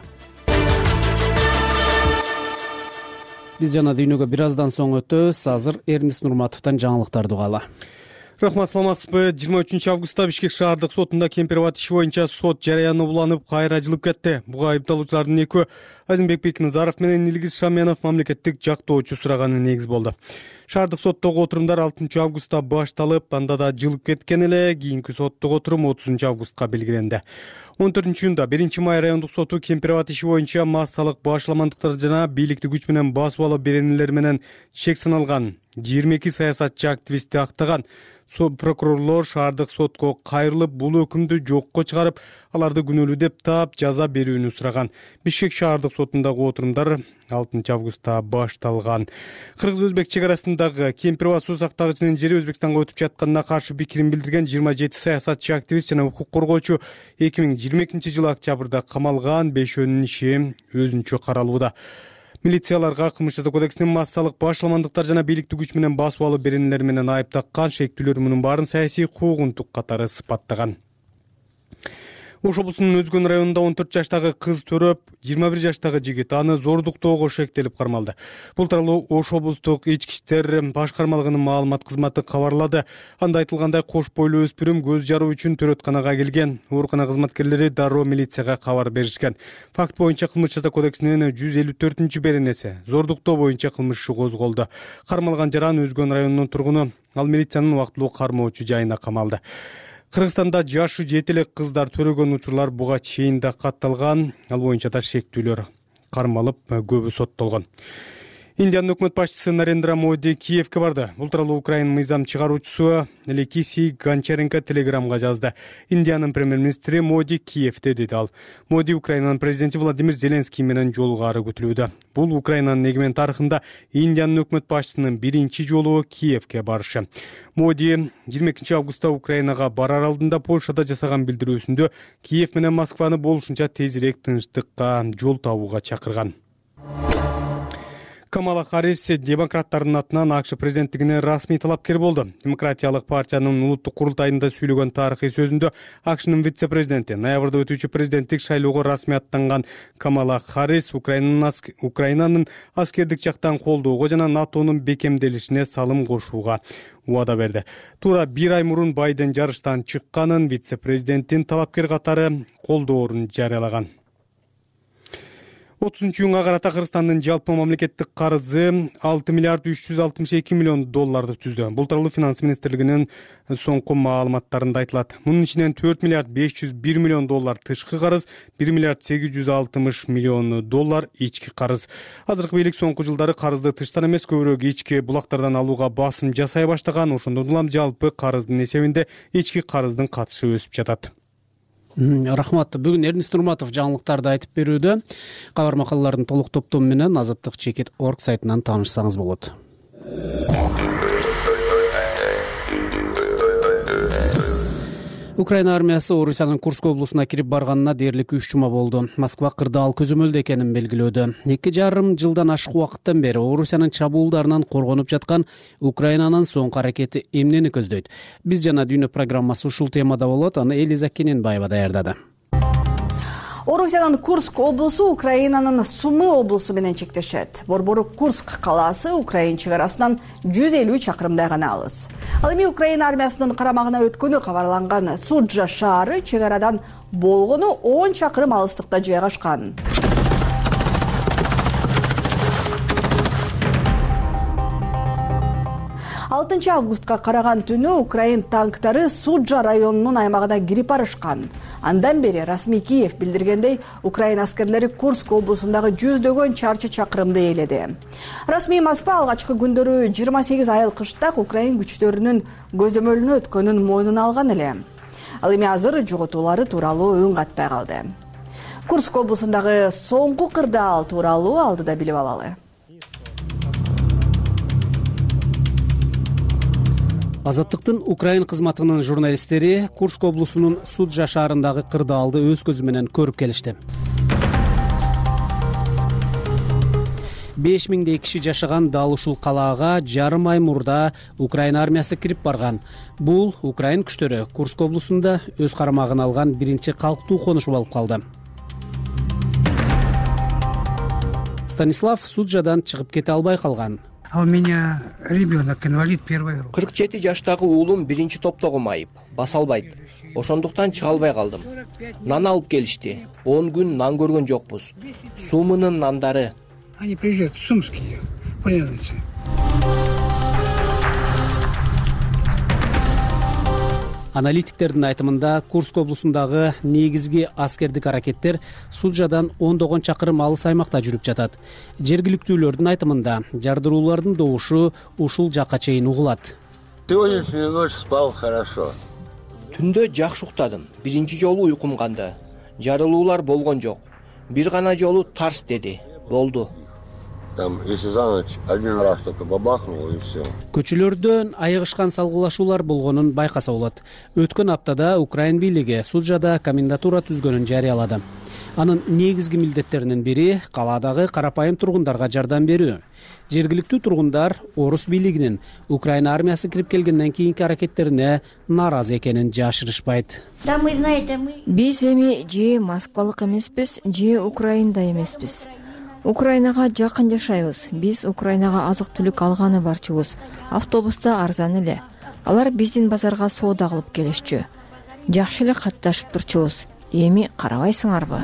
Биз жана дүйнөгө бир аздан соң өтөбүз. Азыр Эрнис Нурматовдон жаңылыктарды угалы. Рахмат, саламатсызбы? жыйырма үчүнчү августта Бишкек шаардык сотунда Кемпирабад иши боюнча сот жарыяны уланып, кайра жылып кетти. Буга айыпталуучулардын экөө Азимбек Бекназаров менен Илгиз Шаменов мамлекеттик жактоочу сураганы негиз болду. Шаардык соттогу отурумдар алтынчы августта башталып, анда да жылып кеткен эле. Кийинки соттук отурум отузунчу августка белгиленди. он төртүнчү июнда биринчи май райондук соту Кемпирабад иши боюнча массалык башаламандыктар жана бийликти күч менен басып алуу беренелер менен чек саналган жыйырма эки саясатчы активистти актаган. Прокурорлор шаардык сотко кайрылып, бул өкүмдү жокко чыгарып, аларды күнөөлүү деп таап жаза берүүнү сураган. Бишкек шаардык сотундагы отурумдар алтынчы августта башталган. Кыргыз-Өзбек чек арасындагы Кемпирабад суу сактагычынын жери Өзбекстанга өтүп жатканына каршы пикирин билдирген жыйырма жети саясатчы активист жана укук коргоочу эки миң жыйырма экинчи жылы октябрда камалган. Бешөөнүн иши өзүнчө каралууда. Милицияларга кылмыш жаза кодексинин массалык башаламандыктар жана бийликти күч менен басып алуу беренелери менен айып таккан шектүүлөр мунун баарын саясий куугунтук катары сыпаттаган. Ош облусунун Өзгөн районунда он төрт жаштагы кыз төрөп, жыйырма бир жаштагы жигит аны зордуктоого шектелип кармалды. Бул тууралуу Ош облустук ички иштер башкармалыгынын маалымат кызматы кабарлады. Анда айтылгандай, кош бойлуу өспүрүм көз жаруу үчүн төрөтканага келген. Оорукана кызматкерлери дароо милицияга кабар беришкен. Факт боюнча кылмыш жаза кодексинин жүз элүү төртүнчү беренеси зордуктоо боюнча кылмыш иши козголду. Кармалган жаран Өзгөн районунун тургуну, ал милициянын убактылуу кармоочу жайына камалды. Кыргызстанда жашы жете элек кыздар төрөгөн учурлар буга чейин да катталган. Ал боюнча да шектүүлөр кармалып, көбү соттолгон. Индиянын өкмөт башчысы Нарендра Моди Киевке барды. Бул тууралуу Украина мыйзам чыгаруучусу Алексей Гончаренко телеграмга жазды. Индиянын премьер-министри Моди Киевте деди ал. Моди Украинанын президенти Владимир Зеленский менен жолугары күтүлүүдө. Бул Украинанын эгемен тарыхында Индиянын өкмөт башчысынын биринчи жолу Киевке барышы. Моди жыйырма экинчи августта Украинага барар алдында Польшада жасаган билдирүүсүндө Киев менен Москваны болушунча тезирээк тынчтыкка жол табууга чакырган. Камала Харрис демократтардын атынан АКШ президенттигине расмий талапкер болду. Демократиялык партиянын улуттук курултайында сүйлөгөн тарыхый сөзүндө АКШнын вице-президенти ноябрда өтүүчү президенттик шайлоого расмий аттанган Камала Харрис Украинанын аскердик жактан колдоого жана НАТОнун бекемделишине салым кошууга убада берди. Туура бир ай мурун Байден жарыштан чыкканын, вице-президенттин талапкер катары колдоорун жарыялаган. отузунчу июнга карата Кыргызстандын жалпы мамлекеттик карызы алты миллиард үч жүз алтымыш эки миллион долларды түздү. Бул тууралуу Финанс министрлигинин соңку маалыматтарында айтылат. Мунун ичинен төрт миллиард беш жүз бир миллион доллар тышкы карыз, бир миллиард сегиз жүз алтымыш миллион доллар ички карыз. Азыркы бийлик соңку жылдары карызды тыштан эмес, көбүрөөк ички булактардан алууга басым жасай баштаган. Ошондон улам жалпы карыздын эсебинде ички карыздын катышы өсүп жатат. Рахмат. Бүгүн Эрнис Нурматов жаңылыктарды айтып берүүдө. Кабар макалалардын толук топтому менен азаттык чекит точка орг сайтынан таанышсаңыз болот. Украина армиясы Орусиянын Курск облусуна кирип барганына дээрлик үч жума болду. Москва кырдаал көзөмөлдө экенин белгилөөдө. Эки жарым жылдан ашык убакыттан бери Орусиянын чабуулдарынан коргонуп жаткан Украинанын соңку аракети эмнени көздөйт? Биз жана дүйнө программасы ушул темада болот. Аны Элиза Кененбаева даярдады. Орусиянын Курск облусу Украинанын Сумы облусу менен чектешет. Борбору Курск калаасы Украина чек арасынан жүз элүү чакырымдай гана алыс. Ал эми Украина армиясынын карамагына өткөнү кабарланган Суджа шаары чек арадан болгону он чакырым алыстыкта жайгашкан. алтынчы августка караган түнү Украин танктары Суджа районунун аймагына кирип барышкан. Андан бери расмий Киев билдиргендей, Украина аскерлери Курск облусундагы жүздөгөн чарчы чакырымды ээледи. Расмий Москва алгачкы күндөрү жыйырма сегиз айыл кыштак Украин күчтөрүнүн көзөмөлүнө өткөнүн мойнуна алган эле. Ал эми азыр жоготуулары тууралуу үн катпай калды. Курск облусундагы соңку кырдаал тууралуу алдыда билип алалы. Азаттыктын Украин кызматынын журналисттери Курск облусунун Суджа шаарындагы кырдаалды өз көзү менен көрүп келишти. беш миңдей киши жашаган дал ушул калаага жарым ай мурда Украина армиясы кирип барган. Бул Украин күчтөрү Курск облусунда өз карамагына алган биринчи калктуу конушу болуп калды. Станислав Суджадан чыгып кете албай калган. А у меня ребенок инвалид первой группы. кырк жети жаштагы уулум биринчи топтогу майып, баса албайт. Ошондуктан чыга албай калдым. Нан алып келишти. он күн нан көргөн жокпуз. Сумынын нандары. Они приезжают сумские, понимаете. Аналитиктердин айтымында Курск облусундагы негизги аскердик аракеттер Суджадан ондогон чакырым алыс аймакта жүрүп жатат. Жергиликтүүлөрдүн айтымында жардыруулардын добушу ушул жакка чейин угулат. Сегодняшнюю ночь спал хорошо. Түндө жакшы уктадым. Биринчи жолу уйкум канды. Жарылуулар болгон жок. Бир гана жолу тарс деди. Болду. Там, если за ночь один раз только бабахнуло и все. Көчөлөрдөн айыгышкан салгылашуулар болгонун байкаса болот. Өткөн аптада Украин бийлиги Суджада комендатура түзгөнүн жарыялады. Анын негизги милдеттеринин бири калаадагы карапайым тургундарга жардам берүү. Жергиликтүү тургундар орус бийлигинин Украина армиясы кирип келгенден кийинки аракеттерине нааразы экенин жашырышпайт. Биз эми же Москвалык эмеспиз, же Украинда эмеспиз. Украинага жакын жашайбыз. Биз Украинага азык-түлүк алганы барчыбыз. Автобуста арзан эле. Алар биздин базарга соода кылып келишчү. Жакшы эле катташып турчубуз. Эми карабайсыңарбы?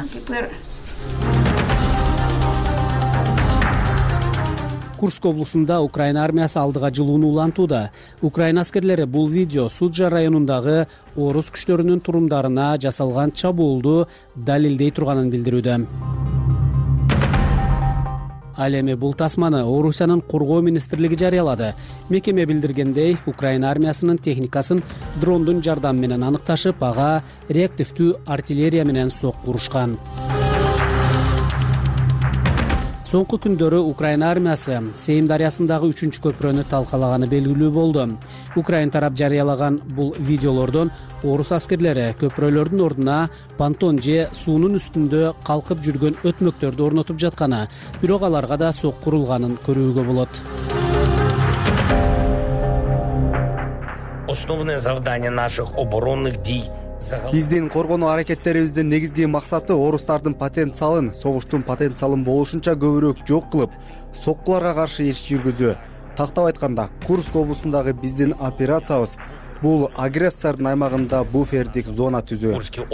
Курск облусунда Украина армиясы алдыга жылууну улантууда. Украина аскерлери бул видео Суджа районундагы орус күчтөрүнүн турумдарына жасалган чабуулду далилдей турганын билдирүүдө. Ал эми бул тасманы Орусиянын коргоо министрлиги жарыялады. Мекеме билдиргендей, Украина армиясынын техникасын дрондун жардамы менен аныкташып, ага реактивдүү артиллерия менен сокку урушкан. Соңку күндөрү Украина армиясы Сейм дарыясындагы үчүнчү көпүрөнү талкалаганы белгилүү болду. Украин тарап жарыялаган бул видеолордон орус аскерлери көпүрөлөрдүн ордуна понтон же суунун үстүндө калкып жүргөн өтмөктөрдү орнотуп жатканы, бирок аларга да сокку урулганын көрүүгө болот. Основное завдание наших оборонных дий Биздин коргонуу аракеттерибиздин негизги максаты орустардын потенциалын, согуштун потенциалын болушунча көбүрөөк жок кылып, соккуларга каршы иш жүргүзүү. Тактап айтканда, Курск облусундагы биздин операциябыз бул агрессордун аймагында буфердик зона түзүү.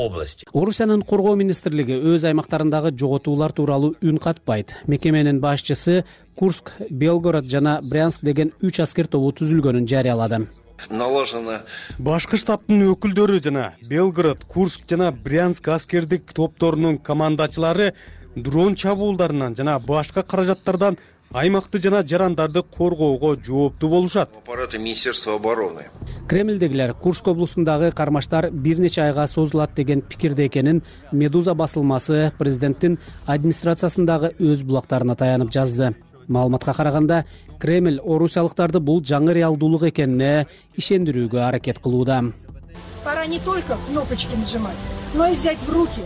Орусиянын коргоо министрлиги өз аймактарындагы жоготуулар тууралуу үн катпайт. Мекеменин башчысы Курск, Белгород жана Брянск деген үч аскер тобу түзүлгөнүн жарыялады. Наложено. Башкы штабтын өкүлдөрү жана Белгород, Курск жана Брянск аскердик топторунун командачылары дрон чабуулдарынан жана башка каражаттардан аймакты жана жарандарды коргоого жооптуу болушат. Аппараты Министерства обороны. Кремлдегилер Курск облусундагы кармаштар бир нече айга созулат деген пикирде экенин Медуза басылмасы президенттин администрациясындагы өз булактарына таянып жазды. Маалыматка караганда, Кремль орусиялыктарды бул жаңы реалдуулук экенине ишендирүүгө аракет кылууда. Пора не только кнопочки нажимать, но и взять в руки.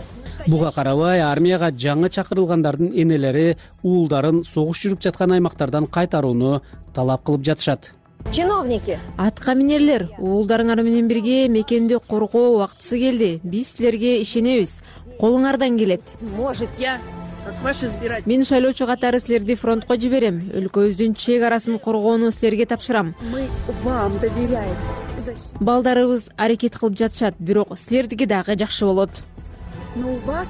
Буга карабай, армияга жаңы чакырылгандардын энелери уулдарын согуш жүрүп жаткан аймактардан кайтарууну талап кылып жатышат. Чиновники, атка минерлер, уулдарыңар менен бирге мекенди коргоо убактысы келди. Биз силерге ишенебиз. Колуңардан келет. Может, я Мен шайлоочу катары силерди фронтко жиберем. Өлкөбүздүн чек арасын коргоону силерге тапшырам. Мы вам доверяем. Балдарыбыз аракет кылып жатышат, бирок силердики дагы жакшы болот. Но у вас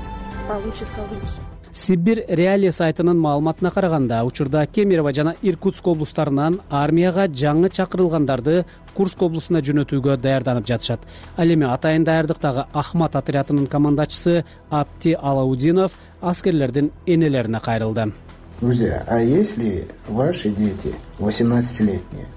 получится лучше. Сибирь реалия сайтынын маалыматына караганда, учурда Кемерово жана Иркутск облустарынан армияга жаңы чакырылгандарды Курск облусуна жөнөтүүгө даярданып жатышат. Ал эми атайын даярдыктагы Ахмат отрядынын командачысы Апти Алаудинов аскерлердин энелерине кайрылды. Друзья, а если ваши дети восемнадцатилетние?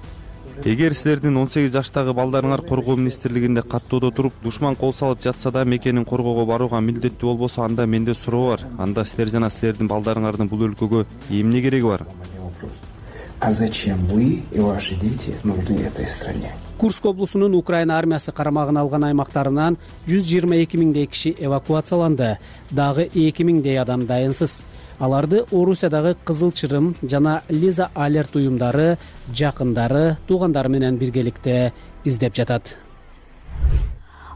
Эгер силердин он сегиз жаштагы балдарыңар коргоо министрлигинде каттоодо туруп, душман кол салып жатса да мекенин коргоого барууга милдеттүү болбосо, анда менде суроо бар. Анда силер жана силердин балдарыңардын бул өлкөгө эмне кереги бар? А зачем вы и ваши дети нужны этой стране? Курск облусунун Украина армиясы карамагына алган аймактарынан жүз жыйырма эки миңдей киши эвакуацияланды. Дагы эки миңдей адам дайынсыз. Аларды Орусиядагы Кызыл Чырым жана Лиза Алерт уюмдары, жакындары, туугандары менен биргеликте издеп жатат.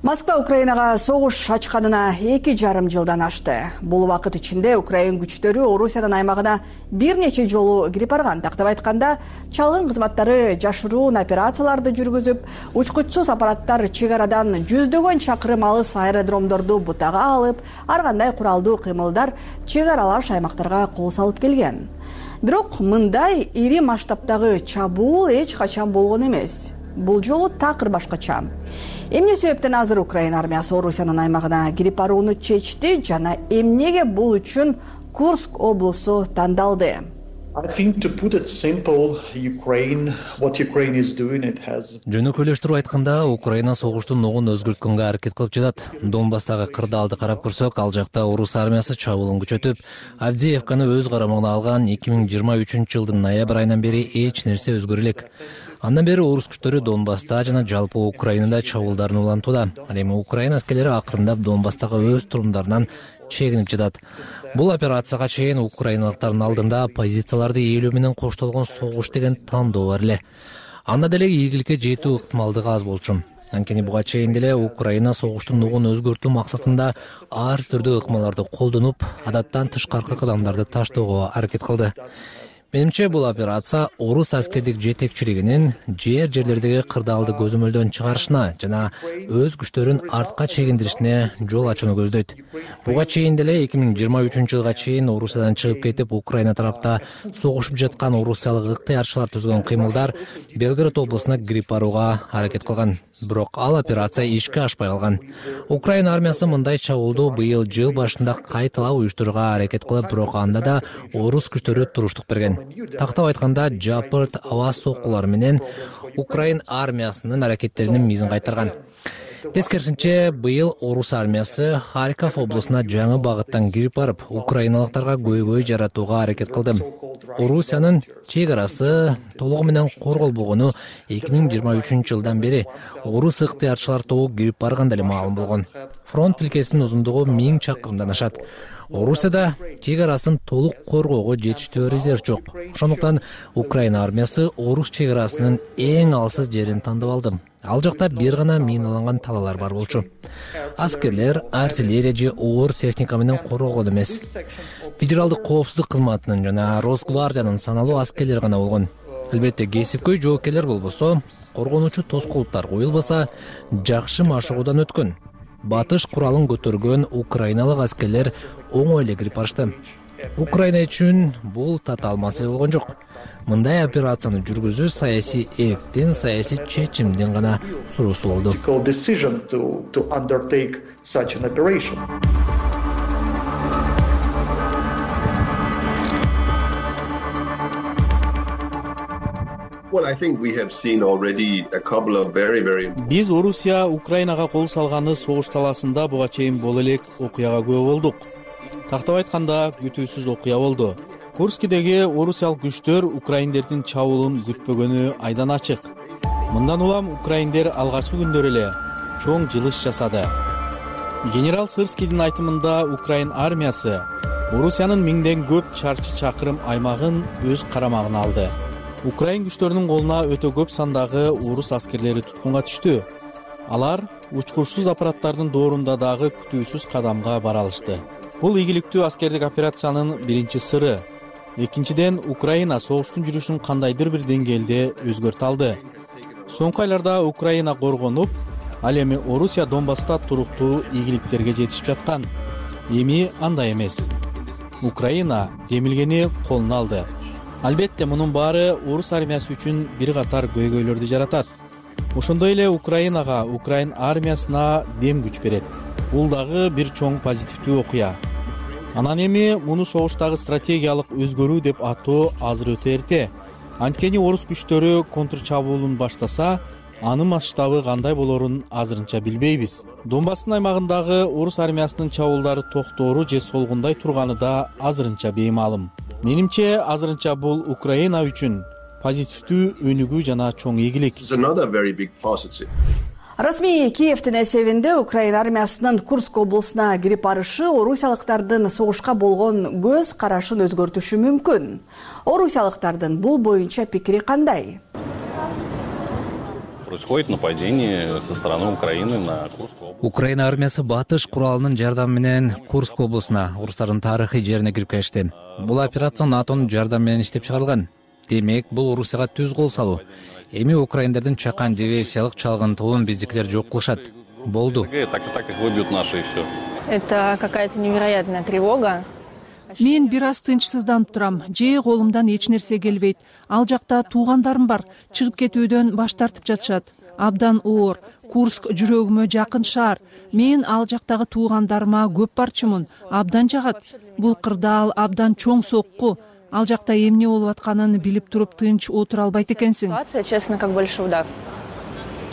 Москва Украинага согуш ачканына эки жарым жылдан ашты. Бул убакыт ичинде Украин күчтөрү Орусиянын аймагына бир нече жолу кирип барган. Тактап айтканда, чалгын кызматтары жашыруун операцияларды жүргүзүп, учкучсуз аппараттар чек арадан жүздөгөн чакырым алыс аэродромдорду бутага алып, ар кандай куралдуу кыймылдар чек аралаш аймактарга кол салып келген. Бирок мындай ири масштабтагы чабуул эч качан болгон эмес. Бул жолу такыр башкача. Эмне себептен азыр Украина армиясы Орусиянын аймагына кирип барууну чечти жана эмнеге бул үчүн Курск облусу тандалды? Жөнөкөйлөштүрүп айтканда, Украина согуштун ногун өзгөрткөнгө аракет кылып жатат. Донбасстагы кырдаалды карап көрсөк, ал жакта орус армиясы чабуулун күчөтүп, Авдеевканы өз карамагына алган эки миң жыйырма үчүнчү жылдын ноябрь айынан бери эч нерсе өзгөрө элек. Андан бери орус күчтөрү Донбасста жана жалпы Украинада чабуулдарын улантууда. Ал эми Украина аскерлери акырындап Донбасстагы өз турумдарынан чегинип жатат. Бул операцияга чейин украиналыктардын алдында позицияларды ээлөө менен коштолгон согуш деген тандоо бар эле. Анда деле ийгиликке жетүү ыктымалдыгы аз болчу. Анткени буга чейин деле Украина согуштун нугун өзгөртүү максатында ар түрдүү ыкмаларды колдонуп, адаттан тышкаркы кадамдарды таштоого аракет кылды. Менимче бул операция орус аскердик жетекчилигинин жер жерлердеги кырдаалды көзөмөлдөн чыгарышына жана өз күчтөрүн артка чегиндиришине жол ачууну көздөйт. Буга чейин деле эки миң жыйырма үчүнчү жылга чейин Орусиядан чыгып кетип, Украина тарапта согушуп ыткан орусиялык ыктыярчылар түзгөн кыймылдар Белгород облусуна кирип барууга аракет кылган. Бирок ал операция ишке ашпай калган. Украина армиясы мындай чабуулду быйыл жыл башында кайталап уюштурууга аракет кылып, бирок анда да орус күчтөрү туруштук берген. Тактап айтканда, жапырт аба соккулары менен Украин армиясынын аракеттеринин мизин кайтарган. Тескерисинче, быйыл орус армиясы Харьков облусуна жаңы багыттан кирип барып, украиналыктарга көйгөй жаратууга аракет кылды. Орусиянын чек арасы толугу менен корголбогону эки миң жыйырма үчүнчү жылдан бери орус ыктыярчылар тобу кирип барганда эле маалым болгон. Фронт тилкесинин узундугу миң чакырымдан ашат. Орусияда чек арасын толук коргоого жетиштүү резерв жок. Ошондуктан Украина армиясы орус чек арасынын эң алсыз жерин тандап алды. Ал жакта бир гана миналанган талалар бар болчу. Аскерлер артиллерия же оор техника менен коргогон эмес. Федералдык коопсуздук кызматынын жана Росгвардиянын саналуу аскерлери гана болгон. Албетте, кесипкөй жоокерлер болбосо, коргонуучу тоскоолдуктар коюлбаса, жакшы машыгуудан өткөн. Батыш куралын көтөргөн украиналык аскерлер оңой эле кирип барышты. Украина үчүн бул татаал маселе болгон жок. Мындай операцияны жүргүзүү саясий эрктин, саясий чечимдин гана суроосу болду. Биз Орусия Украинага кол салганы согуш талаасында буга чейин боло элек окуяга күбө болдук. Тактап айтканда, күтүүсүз окуя болду. Курскидеги орусиялык күчтөр украиндердин чабуулун күтпөгөнү айдан ачык. Мындан улам украиндер алгачкы күндөр эле чоң жылыш жасады. Генерал Сырскийдин айтымында, Украин армиясы Орусиянын миңден көп чарчы чакырым аймагын өз карамагына алды. Украин күчтөрүнүн колуна өтө көп сандагы орус аскерлери туткунга түштү. Алар учкучсуз аппараттардын доорунда дагы күтүүсүз кадамга бара алышты. Бул ийгиликтүү аскердик операциянын биринчи сыры. Экинчиден, Украина согуштун жүрүшүн кандайдыр бир деңгээлде өзгөртө алды. Соңку айларда Украина коргонуп, ал эми Орусия Донбасста туруктуу ийгиликтерге жетишип жаткан. Эми андай эмес. Украина демилгени колуна алды. Албетте мунун баары орус армиясы үчүн бир катар көйгөйлөрдү жаратат. Ошондой эле Украинага, Украин армиясына дем күч берет. Бул дагы бир чоң позитивдүү окуя. Анан эми муну согуштагы стратегиялык өзгөрүү деп атоо азыр өтө эрте. Анткени орус күчтөрү контрчабуулун баштаса, анын масштабы кандай болорун азырынча билбейбиз. Донбасстын аймагындагы орус армиясынын чабуулдары токтоору же солгундай турганы да азырынча беймаалым. Менимче азырынча бул Украина үчүн позитивдүү өнүгүү жана чоң ийгилик. Расмий Киевдин эсебинде Украина армиясынын Курск облусуна кирип барышы орусиялыктардын согушка болгон көз карашын өзгөртүшү мүмкүн. Орусиялыктардын бул боюнча пикири кандай? Происходит нападение со стороны Украины на Курскую область. Украина армиясы батыш куралынын жардамы менен Курск облусуна, орустардын тарыхый жерине кирип келишти. Бул операция НАТОнун жардамы менен иштеп чыгарылган. Демек, бул Орусияга түз кол салуу. Эми украиндардын чакан диверсиялык чалгынтуун биздикилер жок кылышат. Болду. Так и так их выбьют наши и все. Это какая-то невероятная тревога. Мен бир аз тынчсызданып турам. Же колумдан эч нерсе келбейт. Ал жакта туугандарым бар. Чыгып кетүүдөн баш тартып жатышат. Абдан оор. Курск жүрөгүмө жакын шаар. Мен ал жактагы туугандарыма көп барчумун. Абдан жагат. Бул кырдаал абдан чоң сокку. Ал жакта эмне болуп атканын билип туруп тынч отура албайт экенсиң. Ситуация, честно, как большой удар.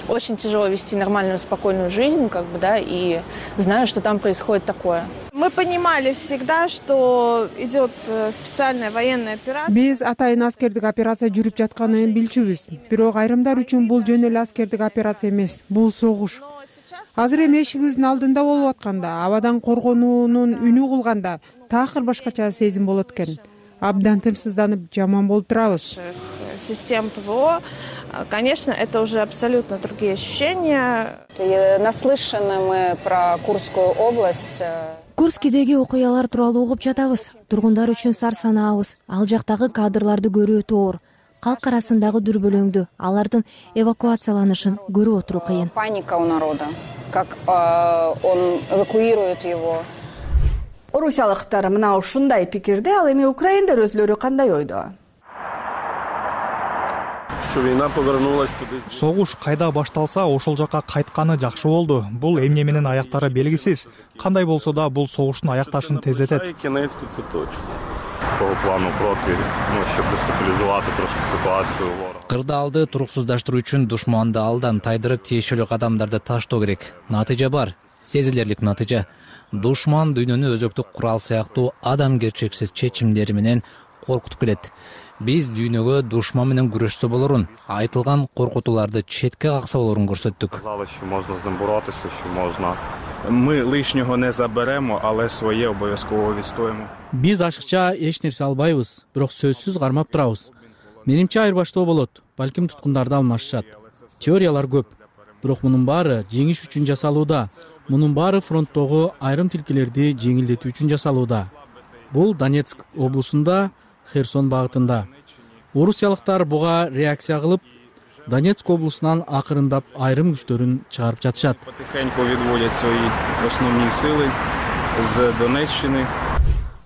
Очень тяжело вести нормальную, спокойную жизнь, как бы, да, и знаю, что там происходит такое. Мы понимали всегда, что идет специальная военная операция. Биз атайын аскердик операция жүрүп жатканын билчүбүз. Бирок айрымдар үчүн бул жөн эле аскердик операция эмес, бул согуш. Азыр эми эшигибиздин алдында болуп атканда, абадан коргонуунун үнү кылганда такыр башкача сезим болот экен. Абдан тынчсызданып, жаман болуп турабыз. Систем ПВО, конечно, это уже абсолютно другие ощущения. Наслышаны мы про Курскую область. Курскидеги окуялар тууралуу угуп жатабыз. Тургундар үчүн сар санаабыз. Ал жактагы кадрларды көрүү өтө оор. Калк арасындагы дүрбөлөңдү, алардын эвакуацияланышын көрүп отуруу кыйын. Паника у народа, как он эвакуирует его. Орусиялыктар мына ушундай пикирде, ал эми украиндар өзлөрү кандай ойдо? Согуш кайда башталса, ошол жака кайтканы жакшы болду. Бул эмне менен аяктары белгисиз. Кандай болсо да бул согуштун аякташын тездетет. Кырдаалды туруксуздаштыруу үчүн душманды алдан тайдырып тиешелүү кадамдарды таштоо керек. Натыйжа бар, сезилерлик натыйжа. Душман дүйнөнү өзөктүк курал сыяктуу адамгерчексиз чечимдери менен коркутуп келет. Биз дүйнөгө душман менен күрөшсө болорун, айтылган коркутууларды четке какса болорун көрсөттүк. Мы лишнего не заберемо, але своє обов'язково відстоїмо. Биз ашыкча эч нерсе албайбыз, бирок сөзсүз кармап турабыз. Менимче айырбаштоо болот, балким туткундарды алмашышат. Теориялар көп, бирок мунун баары жеңиш үчүн жасалууда. Мунун баары фронттогу айрым тилкелерди жеңилдетүү үчүн жасалууда. Бул Донецк облусунда, Херсон багытында. Орусиялыктар буга реакция кылып, Донецк облусунан акырындап айрым күчтөрүн чыгарып жатышат. Потихоньку відводять свої основні сили з Донеччини.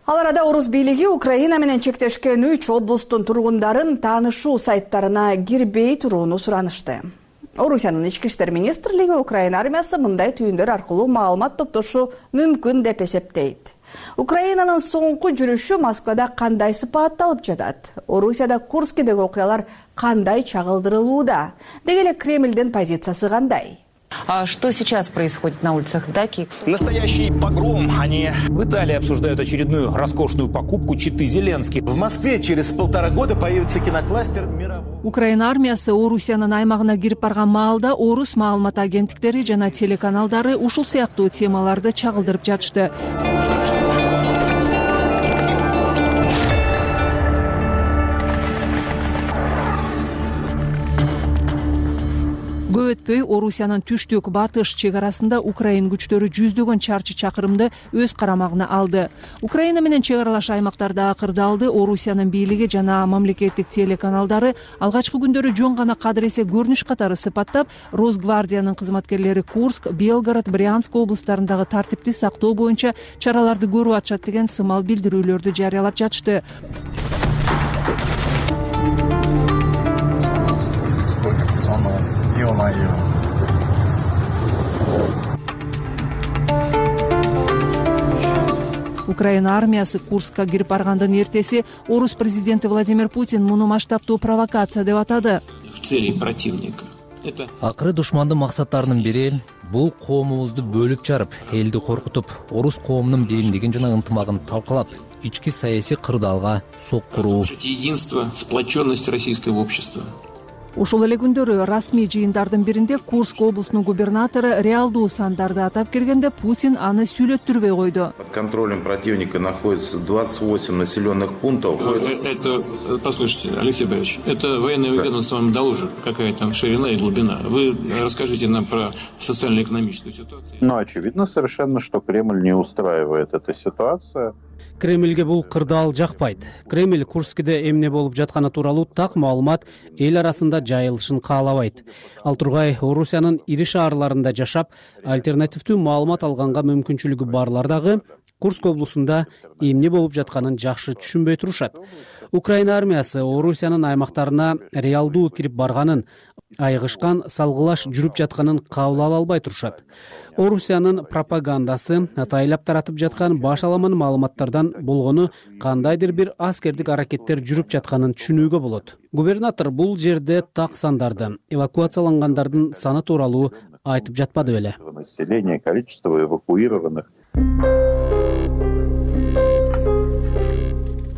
Ал арада орус бийлиги Украина менен чектешкен үч облустун тургундарын таанышуу сайттарына кирбей турууну суранышты. Орусиянын ички иштер министрлиги Украина армиясы мындай түйүндөр аркылуу маалымат топтошу мүмкүн деп эсептейт. Украинанын соңку жүрүшү Москвада кандай сыпатталып жатат? Орусияда Курскидеги окуялар кандай чагылдырылууда? Деги эле Кремлдин позициясы кандай? А что сейчас происходит на улицах Даки? Настоящий погром, они... В Италии обсуждают очередную роскошную покупку читы Зеленский. В Москве через полтора года появится кинокластер мирового... Украина армиясы Орусиянын аймагына кирип барган маалда орус маалымат агенттиктери жана телеканалдары ушул сыяктуу темаларды чагылдырып жатышты. Көп өтпөй Орусиянын түштүк батыш чек арасында Украин күчтөрү жүздөгөн чарчы чакырымды өз карамагына алды. Украина менен чек аралаш аймактарда кырдаалды Орусиянын бийлиги жана мамлекеттик телеканалдары алгачкы күндөрү жөн гана кадыр эсе көрүнүш катары сыпаттап, Росгвардиянын кызматкерлери Курск, Белгород, Брянск облустарындагы тартипти сактоо боюнча чараларды көрүп атышат деген сымал билдирүүлөрдү жарыялап жатышты. Украина армиясы Курскка кирип баргандын эртеси орус президенти Владимир Путин муну масштабтуу провокация деп атады. В цели противника. Акыры душмандын максаттарынын бири бул коомубузду бөлүп жарып, элди коркутуп, орус коомунун биримдигин жана ынтымагын талкалап, ички саясий кырдаалга соккуруу. Единство, сплоченность российского общества. Ошол эле күндөрү расмий жыйындардын биринде Курск облусунун губернатору реалдуу сандарды атап киргенде Путин аны сүйлөттүрбөй койду. Под контролем противника находится двадцать восемь населенных пунктов. Это, послушайте, Алексей Борисович, это военное ведомство вам доложит, какая там ширина и глубина. Вы расскажите нам про социально-экономическую ситуацию. Ну, очевидно совершенно, что Кремль не устраивает эта ситуация. Кремльге бул кырдаал жакпайт. Кремль Курскиде эмне болуп жатканы тууралуу так маалымат эл арасында жайылышын каалабайт. Ал тургай Орусиянын ири шаарларында жашап, альтернативдүү маалымат алганга мүмкүнчүлүгү барлар дагы Курск облусунда эмне болуп жатканын жакшы түшүнбөй турушат. Украина армиясы Орусиянын аймактарына реалдуу кирип барганын, айгышкан салгылаш жүрүп жатканын кабыл ала албай турушат. Орусиянын пропагандасы атайлап таратып жаткан баш аламан маалыматтардан болгону кандайдыр бир аскердик аракеттер жүрүп жатканын түшүнүүгө болот. Губернатор бул жерде так сандарды, эвакуациялангандардын саны тууралуу айтып жатпады беле. Население, количество эвакуированных.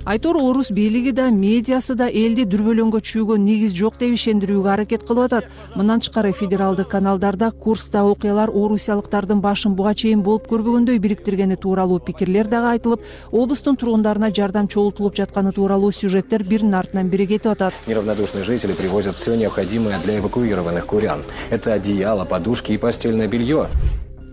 Айтор орус бийлиги да, медиасы да элди дүрбөлөңгө чүйгөн негиз жок деп ишендирүүгө аракет кылып атат. Мындан тышкары федералдык каналдарда Курскта окуялар орусиялыктардын башын буга чейин болуп көрбөгөндөй бириктиргени тууралуу пикирлер дагы айтылып, облустун тургундарына жардам чогултулуп жатканы тууралуу сюжеттер биринин артынан бири кетип атат. Неравнодушные жители привозят все необходимое для эвакуированных курян. Это одеяло, подушки и постельное белье.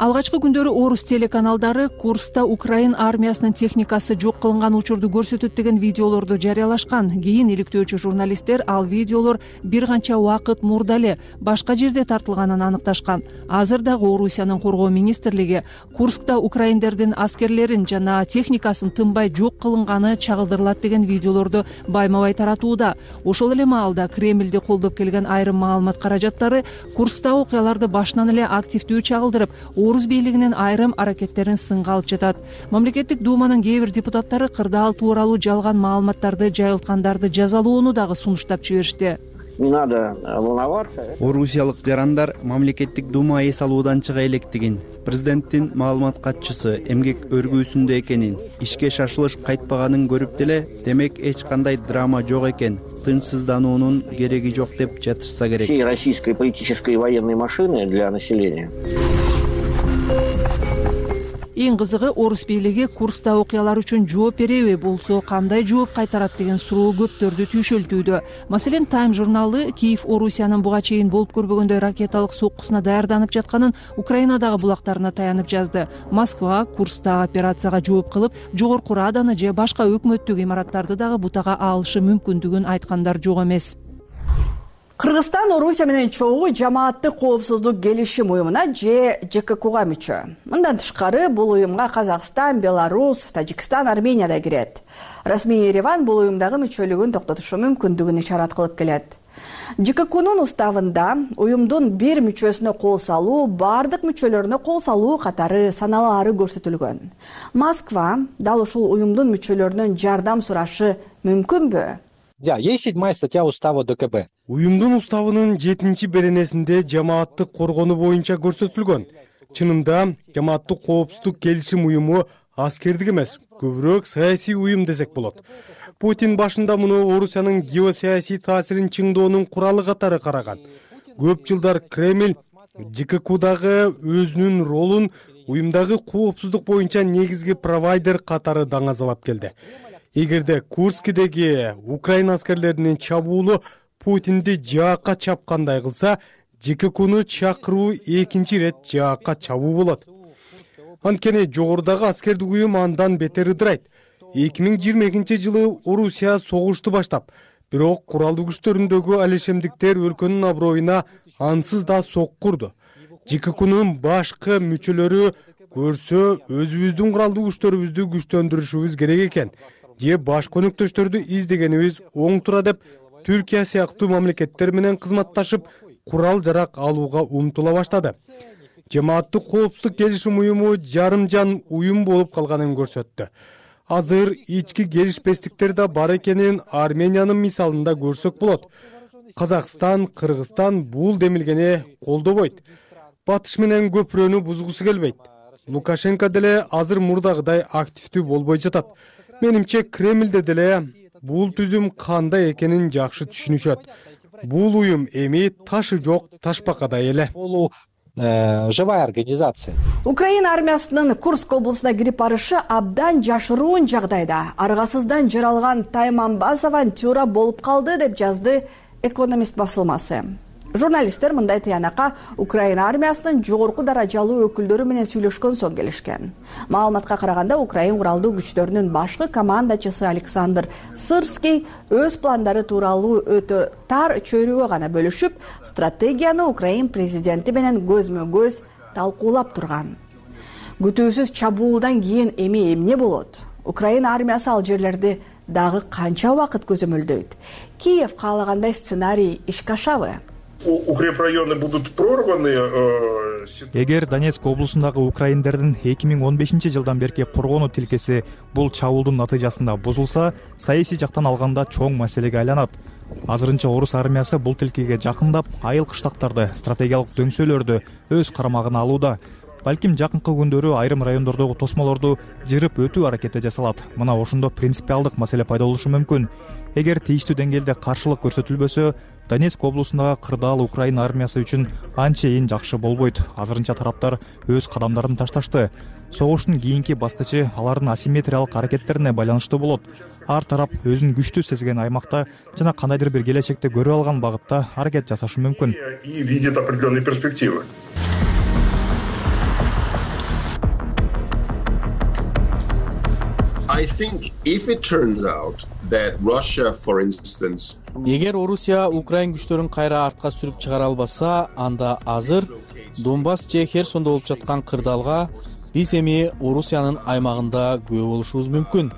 Алгачкы күндөрү орус телеканалдары Курскта Украин армиясынын техникасы жок кылынган учурду көрсөтөт деген видеолорду жарыялашкан. Кийин иликтөөчү журналисттер ал видеолор бир канча убакыт мурда эле башка жерде тартылганын аныкташкан. Азыр дагы Орусиянын коргоо министрлиги Курскта украиндердин аскерлерин жана техникасын тынбай жок кылынганы чагылдырылат деген видеолорду байма-бай таратууда. Ошол эле маалда Кремльди колдоп келген айрым маалымат каражаттары Курскта окуяларды башынан эле активдүү чагылдырып, орус бийлигинин айрым аракеттерин сынга алып жатат. Мамлекеттик думанын кээ бир депутаттары кырдаал тууралуу жалган маалыматтарды жайылткандарды жазалоону дагы сунуштап жиберишти. Не надо волноваться. Орусиялык жарандар мамлекеттик дума эс алуудан чыга электигин, президенттин маалымат катчысы эмгек өргүүсүндө экенин, ишке шашылыш кайтпаганын көрүп деле, демек эч кандай драма жок экен, тынчсыздануунун кереги жок деп жатышса керек. Всей российской политической и военной машины для населения. Эң кызыгы, орус бийлиги Курскта окуялар үчүн жооп береби, болсо кандай жооп кайтарат деген суроо көптөрдү түйшөлтүүдө. Маселен, Time журналы Киев Орусиянын буга чейин болуп көрбөгөндөй ракеталык соккусуна даярданып жатканын Украинадагы булактарына таянып жазды. Москва Курскта операцияга жооп кылып, жогорку Раданы же башка өкмөттүк имараттарды дагы бутага алышы мүмкүндүгүн айткандар жок эмес. Кыргызстан Орусия менен чогуу жамааттык коопсуздук келишим уюмуна же Ж К Кга мүчө. Мындан тышкары бул уюмга Казакстан, Беларусь, Тажикстан, Армения да кирет. Расмий Ереван бул уюмдагы мүчөлүгүн токтотушу мүмкүндүгүн ишарат кылып келет. Ж К Кнун уставында уюмдун бир мүчөсүнө кол салуу, бардык мүчөлөрүнө кол салуу катары саналаары көрсөтүлгөн. Москва дал ушул уюмдун мүчөлөрүнөн жардам сурашы мүмкүнбү? Да, есть седьмая статья устава Д К Б. Уюмдун уставынын жетинчи беренесинде жамааттык коргонуу боюнча көрсөтүлгөн. Чынында жамааттык коопсуздук келишим уюму аскердик эмес, көбүрөөк саясий уюм десек болот. Путин башында муну Орусиянын геосаясий таасирин чыңдоонун куралы катары караган. Көп жылдар Кремль Ж К Кдагы өзүнүн ролун уюмдагы коопсуздук боюнча негизги провайдер катары даңазалап келди. Эгерде Курскидеги Украина аскерлеринин чабуулу Путинди жаакка чапкандай кылса, ЖККуну чакыруу экинчи ирет жаакка чабуу болот. Анткени жогорудагы аскердик уюм андан бетер ыдырайт. эки миң жыйырма экинчи жылы Орусия согушту баштап, бирок куралдуу күчтөрүндөгү алешемдиктер өлкөнүн аброюна ансыз да сокку урду. ЖККунун башкы мүчөлөрү көрсө өзүбүздүн куралдуу күчтөрүбүздү күчтөндүрүшүбүз керек экен же башка өнөктөштөрдү издегенибиз оң тура деп Түркия сыяктуу мамлекеттер менен кызматташып курал жарак алууга умтула баштады. Жамааттык коопсуздук келишим уюму жарымжан уюм болуп калганын көрсөттү. Азыр ички келишпестиктер да бар экенин Армениянын мисалында көрсөк болот. Казакстан, Кыргызстан бул демилгени колдобойт. Батыш менен көпүрөнү бузгусу келбейт. Лукашенко деле азыр мурдагыдай активдүү болбой жатат. Менимче Кремлде деле бул түзүм кандай экенин жакшы түшүнүшөт. Бул уюм эми ташы жок ташбакадай эле. Живая организация. Украина армиясынын Курск облусуна кирип барышы абдан жашыруун жагдайда аргасыздан жаралган Тайманбаз авантюра болуп калды деп жазды Экономист басылмасы. Журналисттер мындай тыянакка Украина армиясынын жогорку даражалуу өкүлдөрү менен сүйлөшкөн соң келишкен. Маалыматка караганда Украин куралдуу күчтөрүнүн башкы командачысы Александр Сырский өз пландары тууралуу өтө тар чөйрөгө гана бөлүшүп, стратегияны Украин президенти менен көзмө-көз талкуулап турган. Күтүүсүз чабуулдан кийин эми эмне болот? Украина армиясы ал жерлерди дагы канча убакыт көзөмөлдөйт? Киев каалагандай сценарий ишке ашабы? Укрепрайоны будут прорваны. Эгер Донецк облусундагы украиндердин эки миң он бешинчи жылдан берки коргонуу тилкеси бул чабуулдун натыйжасында бузулса, саясий жактан алганда чоң маселеге айланат. Азырынча орус армиясы бул тилкеге жакындап, айыл кыштактарды, стратегиялык дөңсөлөрдү өз карамагына алууда. Балким жакынкы күндөрү айрым райондордогу тосмолорду жырып өтүү аракети жасалат. Мына ошондо принципиалдык маселе пайда болушу мүмкүн. Эгер тийиштүү деңгээлде каршылык көрсөтүлбөсө, Донецк облусундагы кырдаал Украина армиясы үчүн анчейин жакшы болбойт. Азырынча тараптар өз кадамдарын ташташты. Согуштун кийинки баскычы алардын асимметриялык аракеттерине байланыштуу болот. Ар тарап өзүн күчтүү сезген аймакта жана кандайдыр бир келечекте көрө алган багытта аракет жасашы мүмкүн. И видит определенные перспективы. I think if it turns out that Russia, for instance, эгер Орусия Украин күчтөрүн кайра артка сүрүп чыгара албаса, анда азыр Донбасс же Херсондо болуп жаткан кырдаалга биз эми Орусиянын аймагында күбө болушубуз мүмкүн.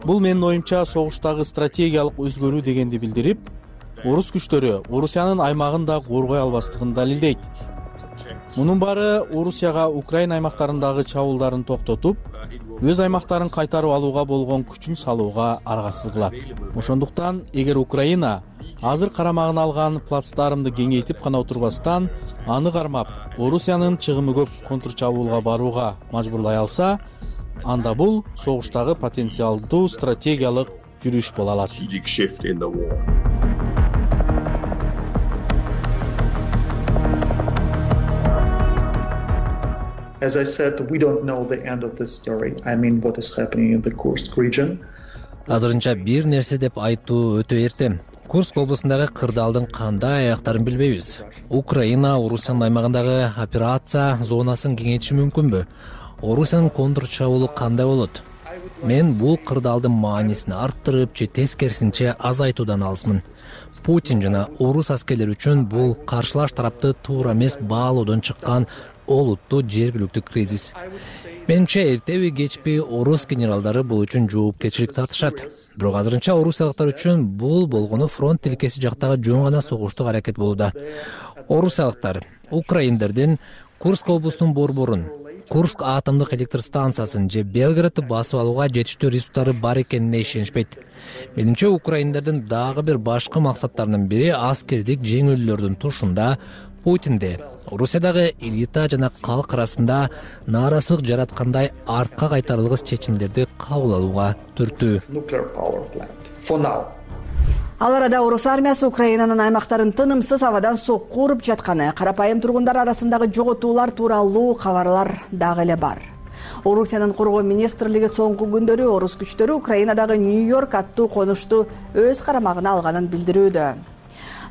Бул менин оюмча согуштагы стратегиялык өзгөрүү дегенди билдирип, орус күчтөрү Орусиянын аймагын да коргой албастыгын далилдейт. Мунун баары Орусияга Украина аймактарындагы чабуулдарын токтотуп, өз аймактарын кайтарып алууга болгон күчүн салууга аргасыз кылат. Ошондуктан, эгер Украина азыр карамагына алган плацдармды кеңейтип гана отурбастан, аны кармап, Орусиянын чыгымы көп контрчабуулга барууга мажбурлай алса, анда бул согуштагы потенциалдуу стратегиялык жүрүш боло алат. As I said, we don't know the end of this story. I mean, what is happening in the Kursk region. Азырынча бир нерсе деп айтуу өтө эрте. Курск облусундагы кырдаалдын кандай аяктарын билбейбиз. Украина Орусиянын аймагындагы операция зонасын кеңейтиши мүмкүнбү? Орусиянын контрчабуулу кандай болот? Мен бул кырдаалдын маанисин арттырып же тескерисинче азайтуудан алысмын. Путин жана орус аскерлери үчүн бул каршылаш тарапты туура эмес баалоодон чыккан олуттуу жергиликтүү кризис. Менимче эртеби кечпи орус генералдары бул үчүн жоопкерчилик тартышат. Бирок азырынча орусиялыктар үчүн бул болгону фронт тилкеси жактагы жөн гана согуштук аракет болууда. Орусиялыктар украиндердин Курск облусунун борборун, Курск атомдук электр станциясын же Белградты басып алууга жетиштүү ресурстары бар экенине ишенишпейт. Менимче украиндердин дагы бир башкы максаттарынын бири аскердик жеңилүүлөрдүн тушунда Путинде Орусиядагы элита жана калк арасында нааразычылык жараткандай артка кайтарылгыс чечимдерди кабыл алууга түртүү. Ал арада орус армиясы Украинанын аймактарын тынымсыз абадан сокку уруп жатканы, карапайым тургундар арасындагы жоготуулар тууралуу кабарлар дагы эле бар. Орусиянын коргоо министрлиги соңку күндөрү орус күчтөрү Украинадагы Нью-Йорк аттуу конушту өз карамагына алганын билдирүүдө.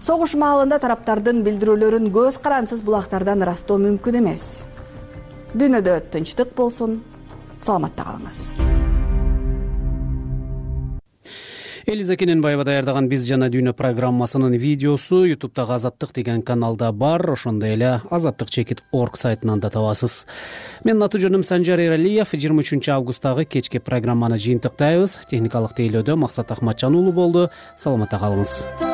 Согуш маалында тараптардын билдирүүлөрүн көз карансыз булактардан ырастоо мүмкүн эмес. Дүйнөдө тынчтык болсун, саламатта калыңыз. Элиза Кененбаева даярдаган «Биз жана дүйнө» программасынын видеосу ютубтагы Азаттык деген каналда бар, ошондой эле азаттык чекит точка орг сайтынан да табасыз. Менин аты жөнүм Санжар Эралиев. жыйырма үчүнчү августтагы кечки программаны жыйынтыктайбыз. Техникалык тейлөөдө Максат Ахматжан уулу болду. Саламатта калыңыз.